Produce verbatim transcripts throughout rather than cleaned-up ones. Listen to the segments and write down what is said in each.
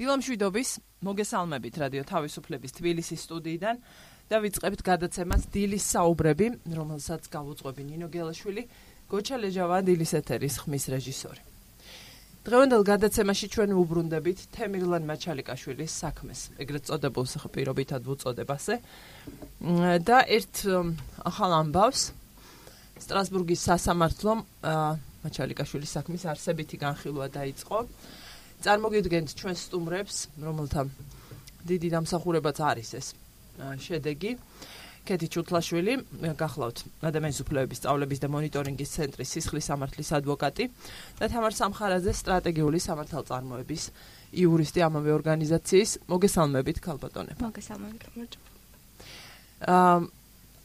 დილამშვიდობის, მოგესალმებით რადიო თავისუფლების თბილისის სტუდიიდან და ვიწყებთ გადაცემას დილის საუბრები, რომელსაც გავუძღვები ნინო გელაშვილი, გოჩა ლეჟავა დილის ეთერის ხმის რეჟისორი. დღევანდელ გადაცემაში ჩვენ ვუბრუნდებით თემირლან მაჩალიკაშვილის საქმეს, ეგრეთ წოდებულ პირობითად ვუწოდებასე და ერთ ახალ ამბავს სტრასბურგის სასამართლომ მაჩალიკაშვილის საქმის არსებითი განხილვა დაიწყო. წარმოგიდგენთ ჩვენ სტუმრებს, რომელთა დიდი დამსახურებაც არის ეს შედეგი. კეთი ჩუთლაშვილი, გახლავთ ადამიანის უფლებების სწავლების და მონიტორინგის ცენტრის სისხლის სამართლის ადვოკატი და თამარ სამხარაძე, სტრატეგიული სამართალწარმოების იურისტი ამავე ორგანიზაციის. მოგესალმებით, ქალბატონებო. მოგესალმებით, გამარჯობა. აა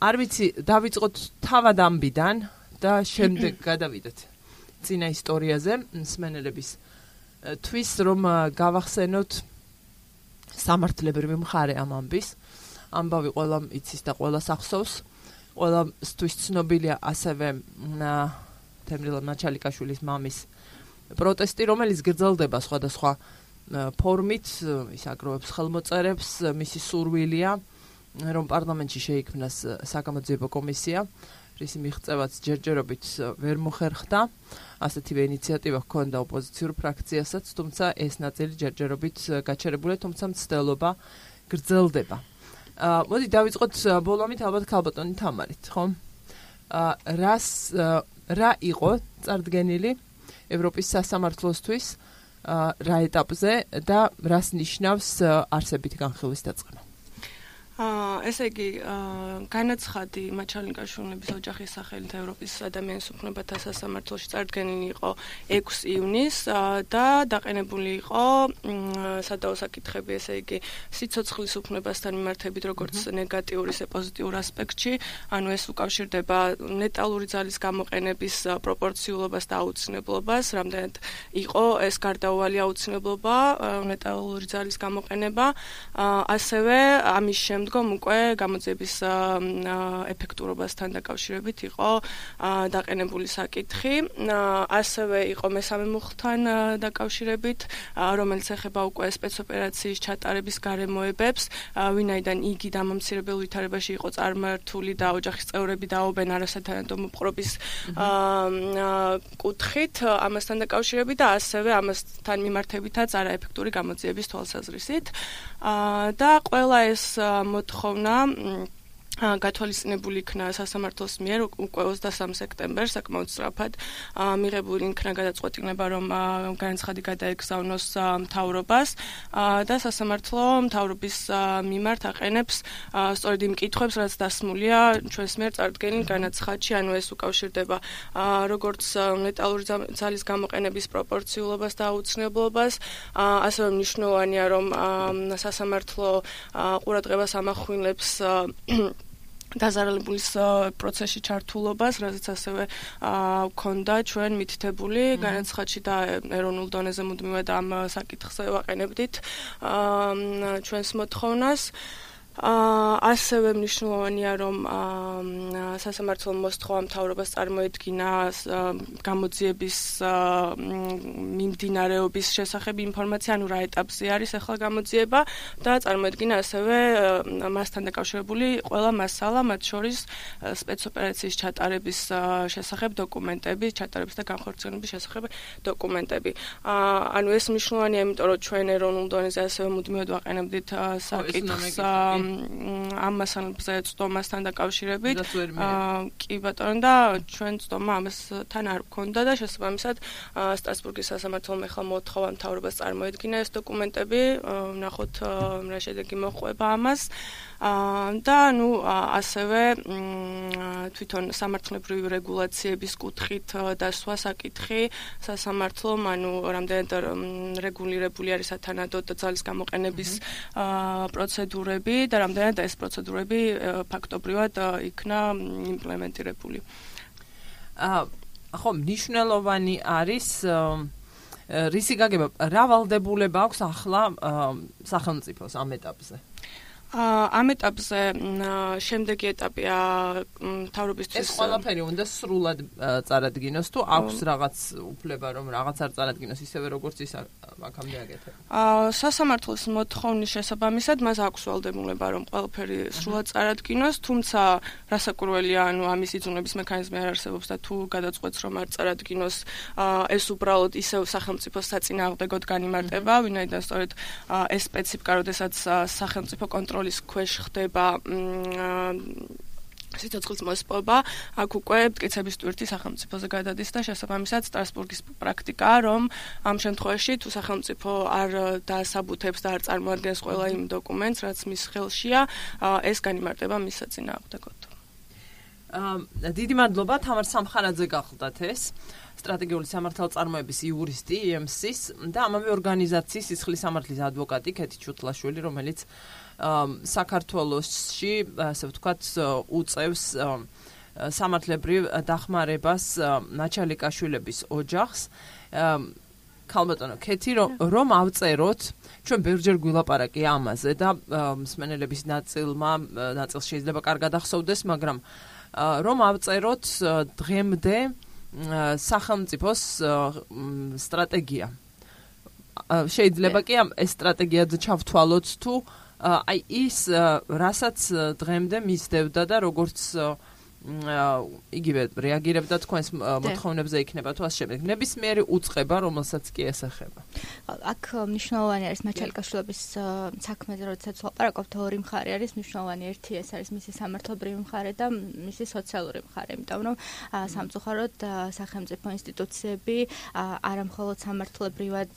არ ვიცი, დავიწყოთ თავად ამბიდან და შემდეგ გადავიდეთ წინა ისტორიაზე, მსმენელების თვის რომ გავახსენოთ სამართლებრივი მხარე ამ ამბის. ამბავი ყველა იცის და ყველა სახსოვს. ყველასთვის ცნობილია ასევე თემრილან მაჩალიკაშვილის მამის პროტესტი, რომელიც გრძელდება სხვადასხვა ფორმით, ის აგროვებს ხელმოწერებს, მისი სურვილია, რომ პარლამენტში შეიქმნას საგამოძიებო კომისია, რისი მიღწევაც ჯერჯერობით ვერ მოხერხდა. ასეთივე ინიციატივა ჰქონდა ოპოზიციურ ფრაქციასაც, თუმცა ეს ნაწილი ჯერჯერობით გაჩერებულია, თუმცა მცდელობა გრძელდება. Uh, მოდი დავიწყოთ ბოლომით ალბათ ქალბატონი თამარით, ხო? Uh, რას uh, რა იყო წარდგენილი ევროპის სასამართლოსთვის uh, რა ეტაპზე და რას ნიშნავს uh, არსებითი განხილვის დაწყება? აა ესე იგი, განაცხადი მაჩალიკაშვილების ოჯახის სახელით ევროპის ადამიანის უფლებათა სასამართლოში წარდგენილი იყო ექვსი ივნისს და დაყენებული იყო სადაო საკითხები, ესე იგი, სიცოცხლის უფლებასთან მიმართებით, როგორც ნეგატიურ, ისე პოზიტიურ ასპექტში, ანუ ეს უკავშირდება ნეტალური ძალის გამოყენების პროპორციულობას და აუცილებლობას, რამდენად იყო ეს გარდაუვალი აუცილებლობა, ნეტალური ძალის გამოყენება, ასევე ამის შემდეგდგომ უკვე გამოძიების ეფექტურობასთან დაკავშირებით იყო დაყენებული საკითხი. ასევე იყო მესამე მუხლთან დაკავშირებით, რომელიც ეხება უკვე სპეცოპერაციის ჩატარების გარემოებებს, ვინაიდან იგი დამამცირებელ ვითარებაში იყო წარმართული და ოჯახის წევრები დაობენ არასათანადო მოპყრობის კუთხით, ამასთან დაკავშირებით და ასევე ამასთან მიმართებითაც არაეფექტური გამოძიების თვალსაზრისით. და ყველა ეს მოთხოვნა გათვალისწინებული იქნა სასამართლოს მიერ უკვე ოცდასამ სექტემბერს, საკმაოდ სწრაფად მიღებული იქნა გადაწყვეტილება, რომ განაცხადი გადაეგზავნოს მთავრობას და სასამართლო მთავრობის მიმართ აყენებს სწორედ იმ კითხვებს, რაც დასმულია ჩვენს მიერ წარდგენილ განაცხადში, ანუ ეს უკავშირდება როგორც ნეტალური ძალის გამოყენების პროპორციულობას და აუცილებლობას, ასევე მნიშვნელოვანია, რომ სასამართლო ყურადღებას ამახვილებს დაზარალებულის პროცესში ჩართულობას, რაზეც ასევე ჰქონდა ჩვენ მითითებული განაცხადში და ეროვნულ დონეზე მუდმივად ამ საკითხზე ვაყენებდით ჩვენს მოთხოვნას. ასევე მნიშვნელოვანია, რომ სასამართლო მოსთხოვა მთავრობას წარმოედგინა გამოძიების მიმდინარეობის შესახებ ინფორმაცია, ანუ რა ეტაპზე არის ახლა გამოძიება და წარმოედგინა ასევე მასთან დაკავშირებული ყველა მასალა, მათ შორის სპეცოპერაციის ჩატარების შესახებ დოკუმენტები, ჩატარების და განხორციელების შესახებ დოკუმენტები. ანუ ეს მნიშვნელოვანია, იმიტომ რომ ჩვენ ეროვნულ დონეზე ასევე მუდმივად ვაყენებდით საკითხს ამ მასალებზე წდომასთან დაკავშირებით. კი ბატონო, და ჩვენ წდომა ამასთან არ გვქონდა და შესაბამისად სტრასბურგის სასამართლომ ახლა მოთხოვა მთავრობას წარმოედგინა ეს დოკუმენტები, ვნახოთ რა შედეგი მოჰყვება ამას. და ნუ ასევე თვითონ სამართლებრივი რეგულაციების კუთხით დასვა საკითხი სასამართლომ, ანუ რამდენად რეგულირებული არის სათანადო ძალის გამოყენების პროცედურები და რამდენად ეს პროცედურები ფაქტობრივად იქნა იმპლემენტირებული. ხო, მნიშვნელოვანი არის რისი გაგება, რა ვალდებულება აქვს ახლა სახელმწიფოს ამ ეტაპზე? ამ ეტაპზე შემდეგი ეტაპია მთავრობისთვის ეს ყველაფერი უნდა სრულად წარადგინოს თუ აქვს რაღაც უფლება რომ რაღაც არ წარადგინოს ისევე როგორც ის აქამდე აკეთებს. სასამართლოს მოთხოვნის შესაბამისად მას აქვს ვალდებულება რომ ყველაფერი სრულად წარადგინოს, თუმცა რასაკურველია, ანუ ამის იძულების მექანიზმი არ არსებობს და თუ გადაწყვეტს რომ არ წარადგინოს, ეს უბრალოდ ისევ სახელმწიფოს საწინააღმდეგოდ განიმარტება, ვინაიდან სწორედ ეს სპეციფიკა, როდესაც სახელმწიფო კონტროლის ქვეშ ხდება სიცოცხლის მოსპობა, აქ უკვე მტკიცების ტვირთი სახელმწიფოზე გადადის და შესაბამისად სტრასბურგის პრაქტიკაა, რომ ამ შემთხვევაში თუ სახელმწიფო არ დაასაბუთებს და არ წარმოადგენს ყველა იმ დოკუმენტს, რაც მის ხელშია, ეს განიმარტება მის საწინააღმდეგოდ. დიდი მადლობა თამარ სამხარაძე გახლდათ ეს სტრატეგიული სამართალწარმოების იურისტი ი ემ სის და ამავე ორგანიზაციის სისხლის სამართლის ადვოკატი კეთი ჩუტლაშვილი, რომელიც საქართველოში, ასე ვთქვათ, უწევს სამართლებრივ დახმარებას ნაჩალიკაშვილების ოჯახს. ქალბატონო კეთი, რომ ავწეროთ, ჩვენ ბევრჯერ გვილაპარაკი ამაზე და მსმენელების ნაწილმა, ნაწილს შეიძლება კარგად ახსოვდეს, მაგრამ რომ ავწეროთ დღემდე სახელმწიფოს სტრატეგია. შეიძლება კი ამ ეს სტრატეგიად ჩავთვალოთ თუ აი ის რასაც დღემდე მისდევდა და როგორც იგივე რეაგირებდა თქვენს მოთხოვნებზე იქნება თუ ასე შემდეგ. ნებისმიერი უწყება, რომელსაც კი ესახება. აქ მნიშვნელოვანი არის ნაჩალიკაშვილების საქმეზე, როდესაც ვაპარაკობთ, ორი მხარე არის მნიშვნელოვანი. ერთი ეს არის მისი სამართლებრივი მხარე და მისი სოციალური მხარე, იმიტომ რომ სამწუხაროდ სახელმწიფო ინსტიტუციები არა მხოლოდ სამართლებრივად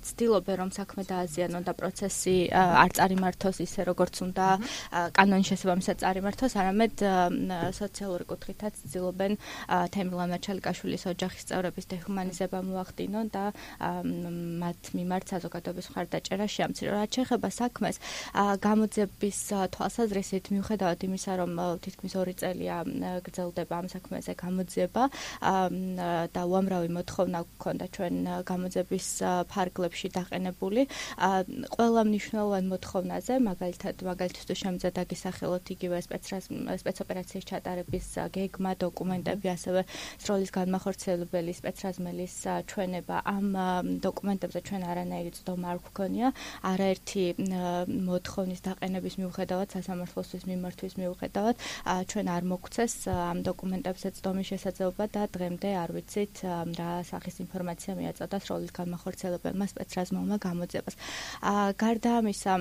ცდილობენ, რომ საქმე დააზიანონ და პროცესი არ წარიმართოს ისე, როგორც უნდა კანონის შესაბამისად წარიმართოს, არამედ სოციალური კუთხითაც ცდილობენ თემილამ ნაჩალიკაშვილის ოჯახის წევრების დეჰუმანიზება მოახდინონ და მათ მიმართ საზოგადოების მხარდაჭერა შეამცირონ. რაც შეეხება საქმეს, გამოძიების თვალსაზრისით, მიუხედავად იმისა, რომ თითქმის ორი წელია გრძელდება ამ საქმეზე გამოძიება და უამრავი მოთხოვნა გვქონდა ჩვენ გამოძიების ფარგლებში დაყენებული, ყველა მნიშვნელოვან მოთხოვნაზე, მაგალითად, მაგალითად შემიძლია დაგისახელოთ იგივე სპეცოპერაციის ჩატარების გეგმა, დოკუმენტები, ასევე სროლის განმახორციელებელი სპეცრაზმელის ჩვენება. ამ დოკუმენტებზე ჩვენ არანაირი წდომა არ გვქონია, არაერთი მოთხოვნის დაყენების მიუხედავად, სასამართლოსთვის მიმართვის მიუხედავად, ჩვენ არ მოგვცეს ამ დოკუმენტებზე წდომის შესაძლებლობა და დღემდე არ ვიცით რა სახის ინფორმაცია მიაწოდა სროლის განმახორციელებელმა სპეცრაზმელმა გამოძიებას. გარდა ამისა,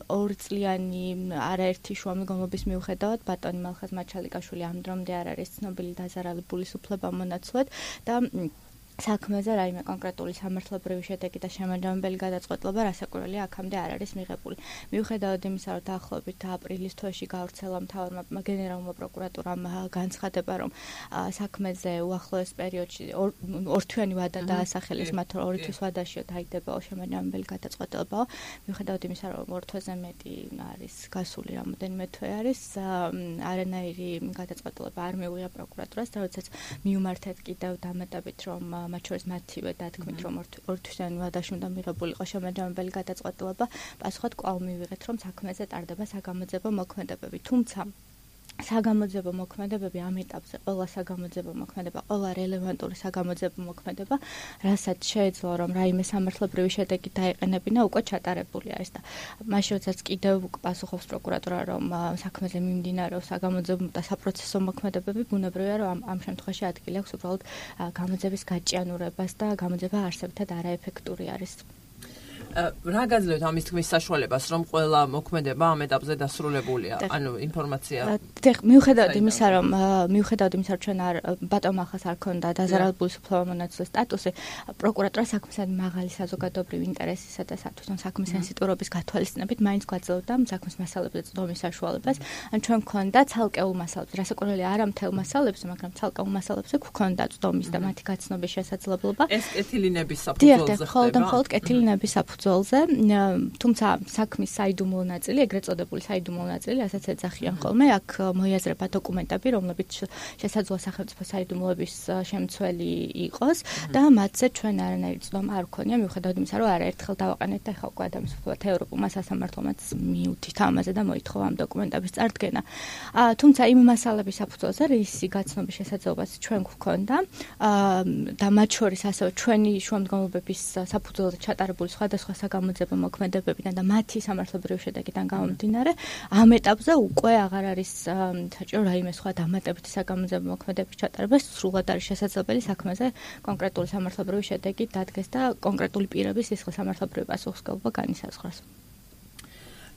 ორწლიანი არაერთი შუამდგომლობის მიუხედავად, ბატონი მალხაზ მაჩალიკაშვილი ამ დრომდე არ არის ცნობილი დაზარალებული სუფლებამონაცვლად და საქმეზე რაიმე კონკრეტული სამართლებრივი შედეგი და შემაჯამებელი გადაწყვეტილება რასაკურველია აქამდე არ არის მიღებული. მიუხედავად იმისა, რომ დაახლოებით აპრილის თვეში გავრცელა მთავარმა გენერალურმა პროკურატურამ განცხადება, რომ საქმეზე უახლოეს პერიოდში ორთვიანი ვადა დაასახელეს, მათ ორი თვის ვადაშიო დაიდებაო შემაჯამებელი გადაწყვეტილება. მიუხედავად იმისა, რომ ორ თვეზე მეტი არის გასული, რამოდენიმე თვე არის, არანაირი გადაწყვეტილება არ მიუღია პროკურატურას, და როდესაც მიუმართეთ კიდევ დამატებით, რომ მათ შორის მათივე დათქმით, რომ ორთვიანი ვადაში უნდა მიღებულიყო შემაჯამებელი გადაწყვეტილება, პასუხად კვლავ მივიღეთ, რომ საქმეზე ტარდება საგამოძიებო მოქმედებები. თუმცა საგამოძიებო მოქმედებები ამ ეტაპზე, ყველა საგამოძიებო მოქმედება, ყველა რელევანტური საგამოძიებო მოქმედება, რასაც შეეძლო, რომ რაიმე სამართლებრივი შედეგი დაეყენებინა, უკვე ჩატარებული არის და მაშინ როდესაც კიდევ პასუხობს პროკურატურა, რომ საქმეზე მიმდინარეობს საგამოძიებო და საპროცესო მოქმედებები, ბუნებრივია, რომ ამ, ამ შემთხვევაში ადგილი აქვს უბრალოდ გამოძიების გაჭიანურებას და გამოძიება არსებითად არაეფექტური არის. რა გაძლევთ ამის თქმის საშუალებას, რომ ყველა მოქმედება ამ ეტაპზე დასრულებულია? ანუ ინფორმაცია. მიუხედავად იმისა, რომ მიუხედავად იმისა, რომ ჩვენ არ ბატონ მალხაზს არ ქონდა დაზარალებული სუფლებამონაცვლის სტატუსი, პროკურატურა საქმესთან მაღალი საზოგადოებრივი ინტერესისა და თვითონ საქმის სენსიტურობის გათვალისწინებით მაინც გვაძლევდა საქმის მასალებზე წდომის საშუალებას. ან ჩვენ ქონდა ცალკეულ მასალებზე, რასაკურველია არა მთელ მასალებზე, მაგრამ ცალკეულ მასალებზე გვქონდა წდომის და მათი გაცნობის შესაძლებლობა. ეს კეთილინების საფუძველზე ხდება. დიახ, მხოლოდ კეთილინების საფუძველზე. საფუძველზე, თუმცა საქმის საიდუმლო ნაწილი, ეგრეთ წოდებული საიდუმლო ნაწილი, ასაც ეძახიან ხოლმე, აქ მოიაზრება დოკუმენტები, რომლებიც შესაძლოა სახელმწიფო საიდუმლოების შემცველი იყოს და მათზე ჩვენ არანაირი ცდომა არ გვქონია, მიუხედავად იმისა, რომ არაერთხელ დავაყენეთ და ახლა უკვე ადამიანსოფლმეთა ევროპულმა სასამართლომაც მიუთით ამაზე და მოითხოვა ამ დოკუმენტების წარდგენა. თუმცა იმ მასალების საფუძველზე რისი გაცნობის შესაძლებლობაც ჩვენ გვქონდა და მათ შორის ასევე ჩვენი შუამდგომლობების საფუძველზე ჩატარებული სხვადასხვა საგამოძიებო მოქმედებებიდან და მათი სამართლებრივი შედეგიდან გამომდინარე, ამ ეტაპზე უკვე აღარ არის საჭირო რაიმე სხვა დამატებითი საგამოძიებო მოქმედების ჩატარება, სრულად არის შესაძლებელი საქმეზე კონკრეტული სამართლებრივი შედეგი დადგეს და კონკრეტული პირების სისხლის სამართლებრივი პასუხისმგებლობა განისაზღვროს.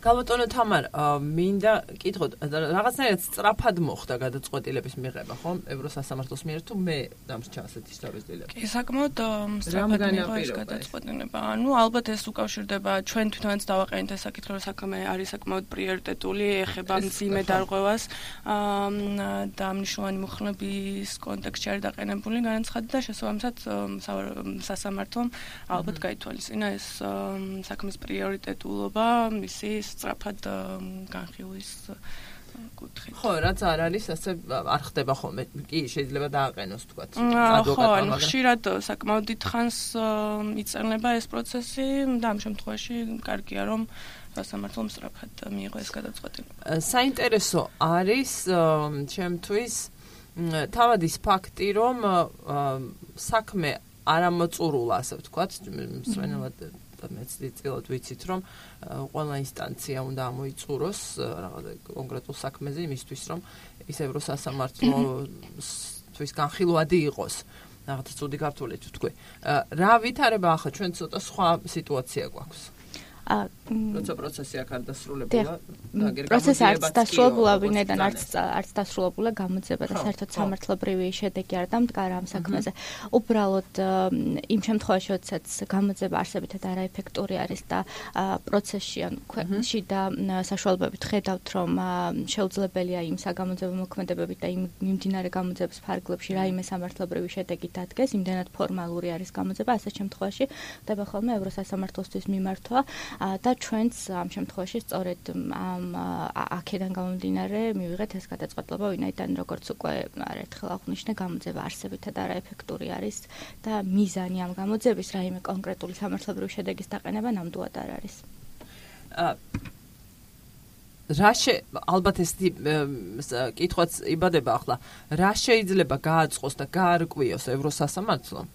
გალბატონო თამარ, მინდა კითხოთ, რაღაცნაირად სწრაფად მოხდა გადაწყვეტილების მიღება, ხო? ევროსასამართლოს მიერ თუ მე დამრჩა ასეთი შთაბეჭდილება? კი, საკმაოდ სწრაფად მიიღო ეს გადაწყვეტილება. ანუ ალბათ ეს უკავშირდება ჩვენ თვითონაც დავაყენეთ ეს საკითხი, რომ საქმე არის საკმაოდ პრიორიტეტული, ეხება მძიმე დარღვევას და მნიშვნელოვანი მოხლების კონტექსტში არის დაყენებული განაცხადი და შესაბამისად სასამართლომ ალბათ გაითვალისწინა ეს საქმის პრიორიტეტულობა, მისი სწრაფად განხილვის კუთხით. ხო, რაც არ არის, ასე არ ხდება ხოლმე. კი, შეიძლება დააყენოს თქვათ ადვოკატმა. ხო, ანუ ხშირად საკმაოდ დიდხანს იწერნება ეს პროცესი და ამ შემთხვევაში კარგია, რომ სასამართლომ სწრაფად მიიღო ეს გადაწყვეტილება. საინტერესო არის ჩემთვის თავად ის ფაქტი, რომ საქმე არ ამოწურულა, ასე ვთქვათ, მსვენელად მეც წილად ვიცით, რომ ყველა ინსტანცია უნდა ამოიწუროს რაღაცა კონკრეტულ საქმეზე იმისთვის, რომ ის ევროსასამართლოს განხილვადი იყოს. რაღაცა ცუდი ქართული თუ თქვი. რა ვითარება ახლა ჩვენ ცოტა სხვა სიტუაცია გვაქვს. როცა პროცესი აქ არ დასრულებულა, პროცესი არც დასრულებულა, ვინაიდან არც არც დასრულებულა გამოძიება და საერთოდ სამართლებრივი შედეგი არ დამდგარა ამ საქმეზე. უბრალოდ იმ შემთხვევაში, როდესაც გამოძიება არსებითად არაეფექტური არის და პროცესში ან ქვეყნში და საშუალებებით ხედავთ, რომ შეუძლებელია იმ საგამოძიებო მოქმედებებით და იმ მიმდინარე გამოძიების ფარგლებში რაიმე სამართლებრივი შედეგი დადგეს, იმდენად ფორმალური არის გამოძიება, ასეთ შემთხვევაში ხდება ხოლმე ევროსასამართლოსთვის მიმართვა და ჩვენც ამ შემთხვევაში სწორედ ამ აქედან გამომდინარე მივიღეთ ეს გადაწყვეტილება, ვინაიდან როგორც უკვე არაერთხელ აღვნიშნე, გამოძიება არსებითად არაეფექტური არის და მიზანი ამ გამოძიების რაიმე კონკრეტული სამართლებრივი შედეგის დაყენება ნამდვილად არ არის. რა შე ალბათ ეს კითხვაც იბადება ახლა, რა შეიძლება გააწყოს და გაარკვიოს ევროსასამართლომ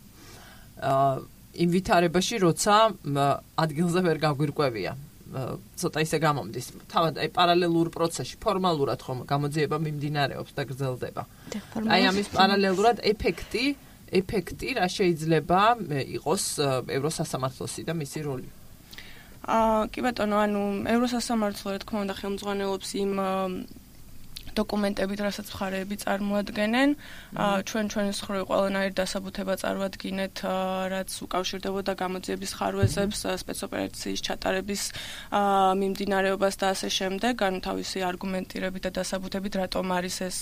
იმ ვითარებაში, როცა ადგილზე ვერ გაგვირკვევია. ცოტა ისე გამომდის. თავად აი პარალელურ პროცესში ფორმალურად ხომ გამოძიება მიმდინარეობს და გრძელდება. აი ამის პარალელურად ეფექტი, ეფექტი რა შეიძლება იყოს ევროსასამართლოსი და მისი როლი. აა კი ბატონო, ანუ ევროსასამართლო რა თქმა უნდა ხელმძღვანელობს იმ დოკუმენტებით, რასაც მხარეები წარმოადგენენ. ჩვენ ჩვენის ხრივ ყველანაირ დასაბუთება წარვადგინეთ, რაც უკავშირდებოდა გამოძიების ხარვეზებს, სპეცოპერაციის ჩატარების მიმდინარეობას და ასე შემდეგ, ანუ თავისი არგუმენტირებით და დასაბუთებით, რატომ არის ეს,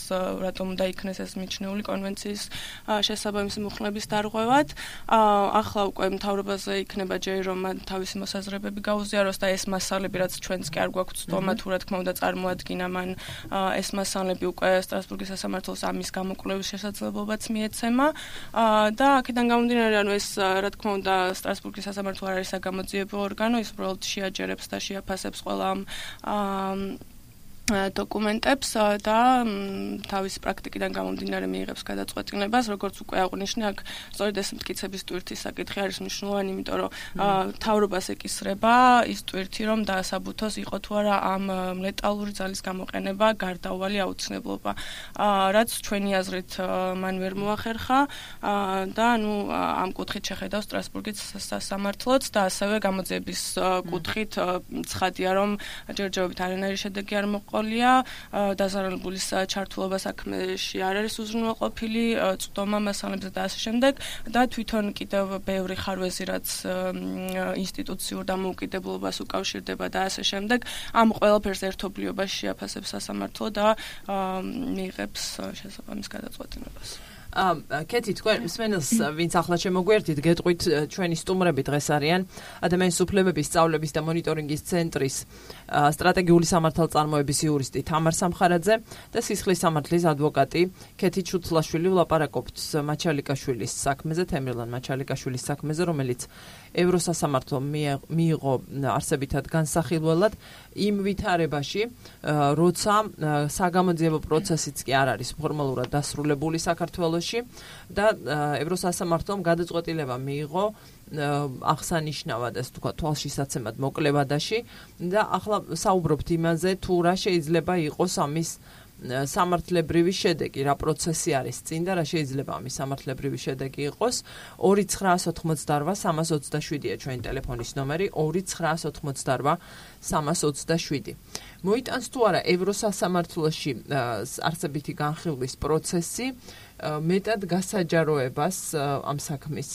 რატომ უნდა იქნეს ეს მიჩნეული კონვენციის შესაბამისი მოხლების დარღვევად. ახლა უკვე მთავრობაზე იქნება ჯერი, რომ მან თავისი მოსაზრებები გაუზიაროს და ეს მასალები, რაც ჩვენც კი არ გვაქვს ცდომა, თუ რა თქმა უნდა წარმოადგინა მან ეს მასალები უკვე სტრასბურგის სასამართლოს ამის გამოკვლევის შესაძლებლობაც მიეცემა და აქედან გამომდინარე, ანუ ეს რა თქმა უნდა სტრასბურგის სასამართლო არ არის საგამოძიებო ორგანო, ის უბრალოდ შეაჯერებს და შეაფასებს ყველა ამ დოკუმენტებს და თავის პრაქტიკიდან გამომდინარე მიიღებს გადაწყვეტილებას, როგორც უკვე აღვნიშნე, აქ სწორედ ეს მტკიცების ტვირთის საკითხი არის მნიშვნელოვანი, იმიტომ რომ მთავრობას ეკისრება ის ტვირთი, რომ დაასაბუთოს იყო თუ არა ამ ლეტალური ძალის გამოყენება გარდაუვალი აუცილებლობა, რაც ჩვენი აზრით მან ვერ მოახერხა და ანუ ამ კუთხით შეხედავს სტრასბურგის სასამართლოც და ასევე გამოძიების კუთხით ცხადია, რომ ჯერჯერობით არანაირი შედეგი არ მოყვა ყოლია დაზარალებულის ჩართულობა საქმეში არ არის უზრუნველყოფილი, წვდომა მასალებზე და ასე შემდეგ და თვითონ კიდევ ბევრი ხარვეზი, რაც ინსტიტუციურ დამოუკიდებლობას უკავშირდება და ასე შემდეგ, ამ ყველაფერს ერთობლიობაში შეაფასებს სასამართლო და მიიღებს შესაბამის გადაწყვეტილებას. კეთი თქვენ მსმენელს ვინც ახლა შემოგვერთით გეტყვით ჩვენი სტუმრები დღეს არიან ადამიანის უფლებების სწავლების და მონიტორინგის ცენტრის სტრატეგიული სამართალწარმოების იურისტი თამარ სამხარაძე და სისხლის სამართლის ადვოკატი კეთი ჩუცლაშვილი ვლაპარაკობთ მაჩალიკაშვილის საქმეზე თემრილან მაჩალიკაშვილის საქმეზე რომელიც ევროსასამართლო მიიღო არსებითად განსახილველად იმ ვითარებაში როცა საგამოძიებო პროცესიც კი არ არის ფორმალურად დასრულებული საქართველოში და ევროსასამართლომ გადაწყვეტილება მიიღო აღსანიშნავად ასე თქვა თვალშისაცემად მოკლევადაში და ახლა საუბრობთ იმაზე თუ რა შეიძლება იყოს ამის სამართლებრივი შედეგი რა პროცესი არის წინ და რა შეიძლება ამის სამართლებრივი შედეგი იყოს ორი ცხრაას ოცდაოთხ სამას ოცდაშვიდია ჩვენი ტელეფონის ნომერი ორი ცხრაას ოცდაოთხ სამას ოცდაშვიდი მოიტანს თუ არა ევროსასამართლოში არსებითი განხილვის პროცესი მეტად გასაჯაროებას ამ საქმის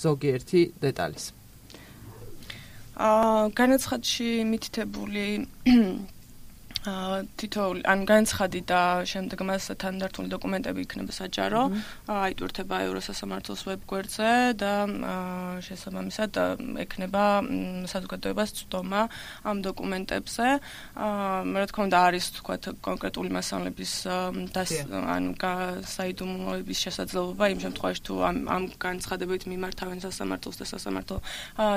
ზოგიერთი დეტალის აა განაცხადში მითითებული თითოეული ან განცხადი და შემდეგ მას თანდართული დოკუმენტები იქნება საჯარო, აიტვირთება ევროსასამართლოს ვებგვერდზე და შესაბამისად ექნება საზოგადოებას წვდომა ამ დოკუმენტებზე. რა თქმა უნდა არის თქვათ კონკრეტული მასალების ან საიდუმლოების შესაძლებლობა იმ შემთხვევაში თუ ამ ამ განცხადებით მიმართავენ სასამართლოს და სასამართლო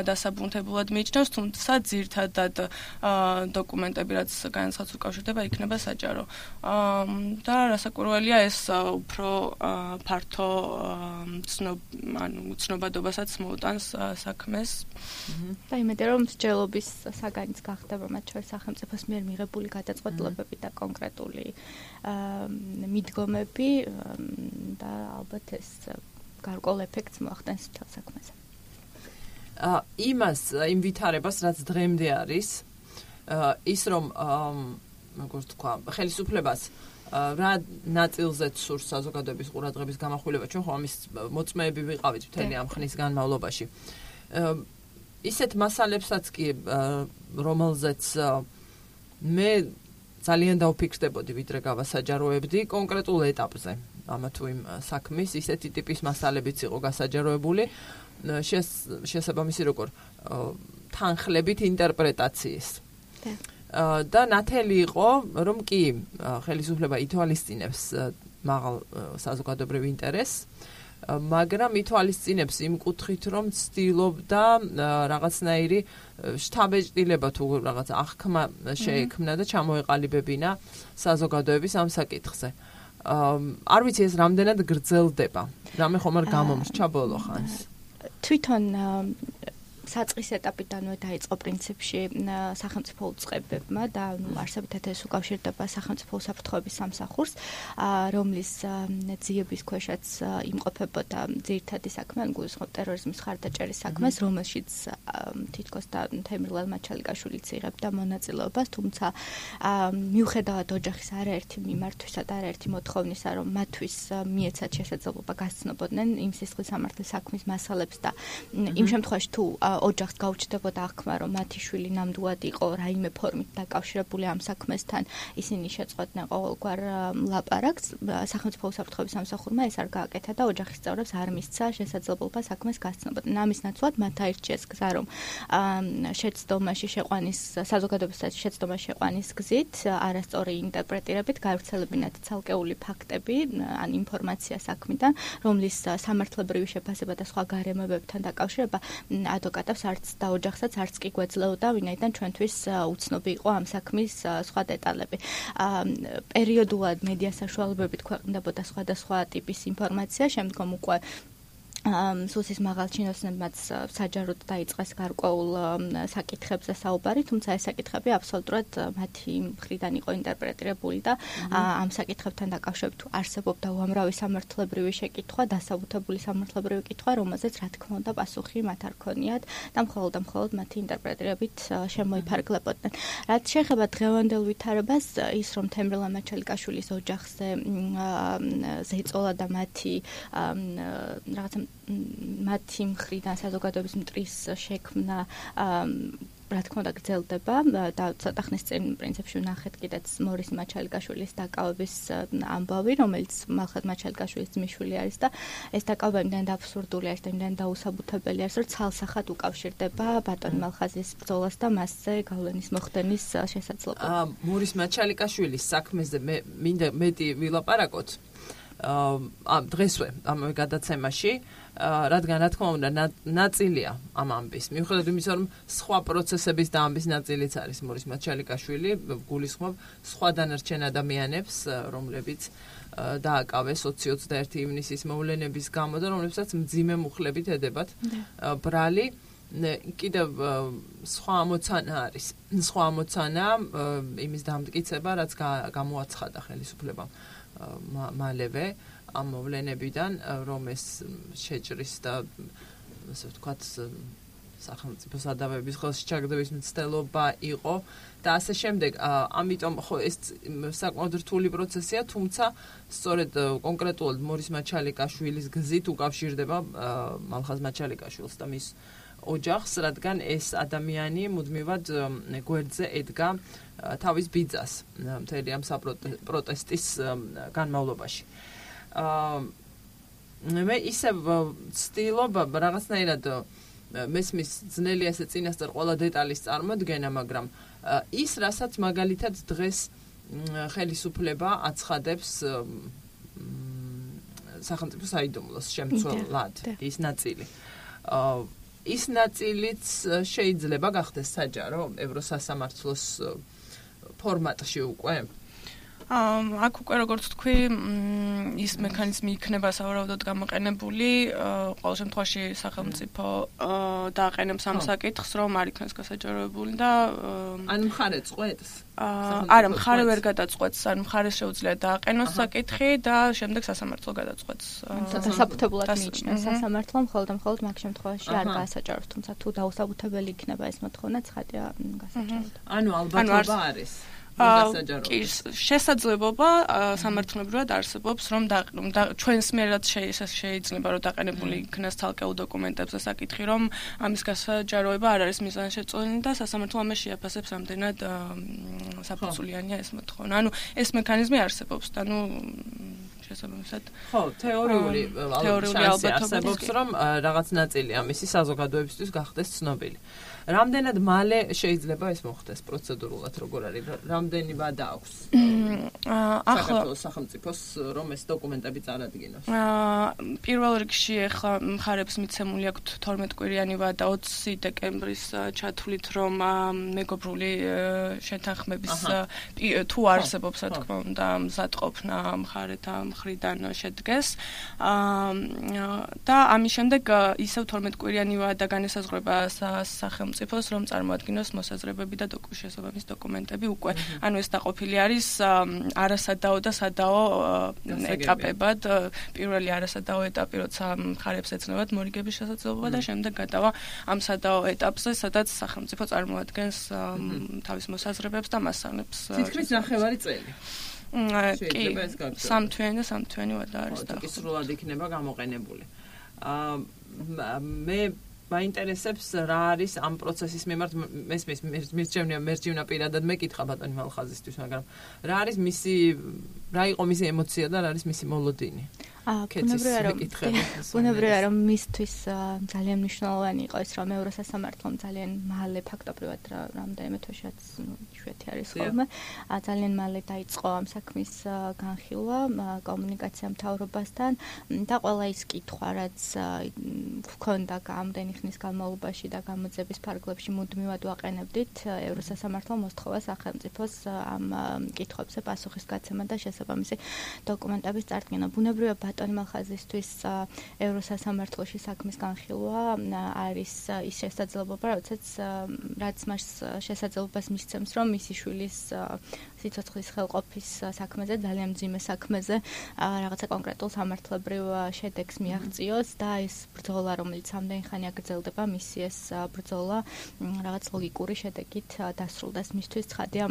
დასაბუნთებულად მიიჩნევს, თუმცა ძირთადად დოკუმენტები რაც განცხადს უკავშირდება იქნება საჯარო. და რასაკვირველია ეს უფრო ფართო ცნობ ანუ ცნობადობასაც მოუტანს საქმეს. და იმედია რომ მსჯელობის საგანიც გახდება მათ შორის სახელმწიფოს მიერ მიღებული გადაწყვეტილებები და კონკრეტული მიდგომები და ალბათ ეს გარკვეულ ეფექტს მოახდენს მთელ საქმეზე. იმას იმ ვითარებას რაც დღემდე არის ის რომ როგორც თქვა ხელისუფლებას რა ნაწილზეც სურს საზოგადოების ყურადღების გამახვილება ჩვენ ხო ამის მოწმეები ვიყავით მთელი ამ ხნის განმავლობაში ისეთ მასალებსაც კი რომელზეც მე ძალიან დავფიქრდებოდი ვიდრე გავასაჯაროებდი კონკრეტულ ეტაპზე ამა თუ იმ საქმის ისეთი ტიპის მასალებიც იყო გასაჯაროებული შესაბამისი როგორ თანხლებით ინტერპრეტაციის და ნათელი იყო რომ კი ხელისუფლება ითვალისწინებს მაღალ საზოგადოებრივ ინტერესს მაგრამ ითვალისწინებს იმ კუთხით რომ ცდილობდა რაღაცნაირი შთაბეჭდილება თუ რაღაც აღქმა შეექმნა და ჩამოეყალიბებინა საზოგადოების ამ საკითხზე არ ვიცი ეს რამდენად გრძელდება რამე ხომ არ გამომრჩა ბოლო ხანს თვითონ საწყის ეტაპიდანვე დაიწყო პრინციპში სახელმწიფო უწყებებმა და არსებითად ეს უკავშირდება სახელმწიფო უსაფრთხოების სამსახურს, რომლის ძიების ქვეშაც იმყოფებოდა ძირითადი საქმე, ან გულისხმობ ტერორიზმის ხარდაჭერის საქმეს, რომელშიც თითქოს და თემრილან მაჩალიკაშვილიც იღებდა მონაწილეობას, თუმცა მიუხედავად ოჯახის არაერთი მიმართვისა და არაერთი მოთხოვნისა, რომ მათთვის მიეცათ შესაძლებლობა გასცნობოდნენ იმ სისხლის სამართლის საქმის მასალებს და იმ შემთხვევაში თუ ოჯახს გაუჩნდებოდა აღქმა, რომ მათი შვილი ნამდვილად იყო რაიმე ფორმით დაკავშირებული ამ საქმესთან, ისინი შეწყვეტდნენ ყოველგვარ ლაპარაკს. სახელმწიფო უსაფრთხოების სამსახურმა ეს არ გააკეთა და ოჯახის წევრებს არ მისცა შესაძლებლობა საქმეს გასცნობოდნენ. ამის ნაცვლად მათ აირჩიეს გზა, რომ შეცდომაში შეყვანის საზოგადოებისათვის შეცდომაში შეყვანის გზით არასწორი ინტერპრეტირებით გავრცელებინათ ცალკეული ფაქტები, ან ინფორმაცია საქმიდან, რომლის სამართლებრივი შეფასება და სხვა გარემოებებთან დაკავშირება ადვოკატ არც და ოჯახსაც არც კი გვეძლეოდა, ვინაიდან ჩვენთვის უცნობი იყო ამ საქმის სხვა დეტალები. პერიოდულად მედია საშუალებებით ქვეყნდებოდა სხვადასხვა ტიპის ინფორმაცია, შემდგომ უკვე სუსის მაღალჩინოსნებმაც საჯაროდ დაიწყეს გარკვეულ საკითხებზე საუბარი, თუმცა ეს საკითხები აბსოლუტურად მათი მხრიდან იყო ინტერპრეტირებული და ამ საკითხებთან დაკავშირებით არსებობდა უამრავი სამართლებრივი შეკითხვა, დასაბუთებული სამართლებრივი კითხვა, რომელზეც რა თქმა უნდა პასუხი მათ არ ქონიათ და მხოლოდ და მხოლოდ მათი ინტერპრეტირებით შემოიფარგლებოდნენ. რაც შეეხება დღევანდელ ვითარებას, ის რომ თემრილან მაჩალიკაშვილის ოჯახზე ზეწოლა და მათი რაღაცა მათი მხრიდან საზოგადოების მტრის შექმნა რა თქმა უნდა გრძელდება და ცოტა ხნის წინ პრინციპში ვნახეთ კიდეც მორის მაჩალიკაშვილის დაკავების ამბავი, რომელიც მალხაზ მაჩალიკაშვილის ძმისშვილი არის და ეს დაკავება იმდენად აბსურდული არის და იმდენად დაუსაბუთებელი არის, რომ ცალსახად უკავშირდება ბატონ მალხაზის ბრძოლას და მასზე გავლენის მოხდენის შესაძლებლობა. მორის მაჩალიკაშვილის საქმეზე მე მინდა მეტი ვილაპარაკოთ. ამ დღესვე ამ გადაცემაში, რადგან რა თქმა უნდა ნაწილია ამ ამბის. მიუხედავად იმისა, რომ სხვა პროცესების და ამბის ნაწილიც არის მორის მაჩალიკაშვილი, გულისხმობ სხვა დანარჩენ ადამიანებს, რომლებიც დააკავეს ოცი ოცდაერთი ივნისის მოვლენების გამო და რომლებსაც მძიმე მუხლებით ედებათ ბრალი. კიდევ სხვა ამოცანა არის. სხვა ამოცანა იმის დამტკიცება, რაც გამოაცხადა ხელისუფლებამ მალევე ამ მოვლენებიდან, რომ ეს შეჭრის და ასე ვთქვათ სახელმწიფო სადავეების ხელში ჩაგდების მცდელობა იყო და ასე შემდეგ. ამიტომ ხო ეს საკმაოდ რთული პროცესია, თუმცა სწორედ კონკრეტულად მორის მაჩალიკაშვილის გზით უკავშირდება მალხაზ მაჩალიკაშვილს და მის ოჯახს, რადგან ეს ადამიანი მუდმივად გვერდზე ედგა თავის ბიძას მთელი ამ საპროტესტის განმავლობაში. მე ისევ ვცდილობ რაღაცნაირად მესმის ძნელი ასე წინასწარ ყველა დეტალის წარმოდგენა, მაგრამ ის, რასაც მაგალითად დღეს ხელისუფლება აცხადებს სახელმწიფო საიდუმლოს შემცველად, ის ნაწილი. ის ნაწილიც შეიძლება გახდეს საჯარო ევროსასამართლოს ფორმატში უკვე. აქ უკვე როგორც თქვი, ის მექანიზმი იქნება სავარაუდოდ გამოყენებული, ყოველ შემთხვევაში სახელმწიფო დააყენებს ამ საკითხს, რომ არ იქნეს გასაჯაროებული და ან მხარე წყვეტს. არა, მხარე ვერ გადაწყვეტს, ან მხარეს შეუძლია დააყენოს საკითხი და შემდეგ სასამართლო გადაწყვეტს. დასაბუთებულად მიიჩნევს სასამართლომ, მხოლოდ და მხოლოდ მაგ შემთხვევაში არ გაასაჯაროს, თუმცა თუ დაუსაბუთებელი იქნება ეს მოთხოვნა, ცხადია გასაჯაროდ. ანუ ალბათობა არის. კი, შესაძლებლობა სამართლებრივად არსებობს, რომ ჩვენს მიერად შეიძლება რომ დაყენებული იქნას თალკეულ დოკუმენტებზე საკითხი, რომ ამის გასაჯაროება არ არის მიზანშეწონილი და სასამართლო ამას შეაფასებს ამდენად საფუძვლიანია ეს მოთხოვნა. ანუ ეს მექანიზმი არსებობს და ნუ შესაბამისად ხო, თეორიული ალბათობა არსებობს, რომ რაღაც ნაწილი ამისი საზოგადოებისთვის გახდეს ცნობილი. რამდენად მალე შეიძლება ეს მოხდეს პროცედურულად, როგორ არის? რამდენი ვადა აქვს საქართველოს სახელმწიფოს, რომ ეს დოკუმენტები წარადგინოს? პირველ რიგში ახლა მხარებს მიცემული აქვთ თორმეტ კვირიანი ვადა ოცი დეკემბრის ჩათვლით, რომ მეგობრული შეთანხმების თუ არსებობს, რა თქმა უნდა, მზადყოფნა მხარეთა მხრიდან შედგეს. და ამის შემდეგ ისევ თორმეტ კვირიანი ვადა განესაზღვრება სახელმწიფოს, რომ წარმოადგინოს მოსაზრებები და შესაბამის დოკუმენტები უკვე. ანუ ეს დაყოფილი არის არასადაო და სადაო ეტაპებად. პირველი არასადაო ეტაპი, როცა მხარებს ეცნებათ მორიგების შესაძლებლობა და შემდეგ გადავა ამ სადაო ეტაპზე, სადაც სახელმწიფო წარმოადგენს თავის მოსაზრებებს და მასალებს. თითქმის ნახევარი წელი. კი, სამთვიანი და სამთვიანი ვადა არის და კი სრულად იქნება გამოყენებული. მე მაინტერესებს რა არის ამ პროცესის მიმართ მესმის მირჩევნია მერჯივნა პირადად მეკითხა ბატონი მალხაზისთვის, მაგრამ რა არის მისი რა იყო მისი ემოცია და რა არის მისი მოლოდინი? ბუნებრივია რომ მისთვის ძალიან მნიშვნელოვანი იყო ის, რომ ევროსასამართლომ ძალიან მალე ფაქტობრივად რამდენიმე თვეშიც შვეთი არის ხოლმე, ძალიან მალე დაიწყო ამ საქმის განხილვა კომუნიკაცია მთავრობასთან და ყველა ის კითხვა, რაც ჰქონდა ამდენი ხნის განმავლობაში და გამოძიების ფარგლებში მუდმივად ვაყენებდით, ევროსასამართლომ მოსთხოვა სახელმწიფოს ამ კითხვებზე პასუხის გაცემა და შესაბამისი დოკუმენტების წარდგენა. ბუნებრივია ბატონი მალხაზისთვის ევროსასამართლოში საქმის განხილვა არის ის შესაძლებლობა, როდესაც რაც მას შესაძლებლობას მისცემს, რომ მისი შვილის სიცოცხლის ხელყოფის საქმეზე, ძალიან მძიმე საქმეზე რაღაცა კონკრეტულ სამართლებრივ შედეგს მიაღწიოს და ეს ბრძოლა, რომელიც ამდენი ხანი აგრძელდება, მისი ეს ბრძოლა რაღაც ლოგიკური შედეგით დასრულდეს. მისთვის ცხადია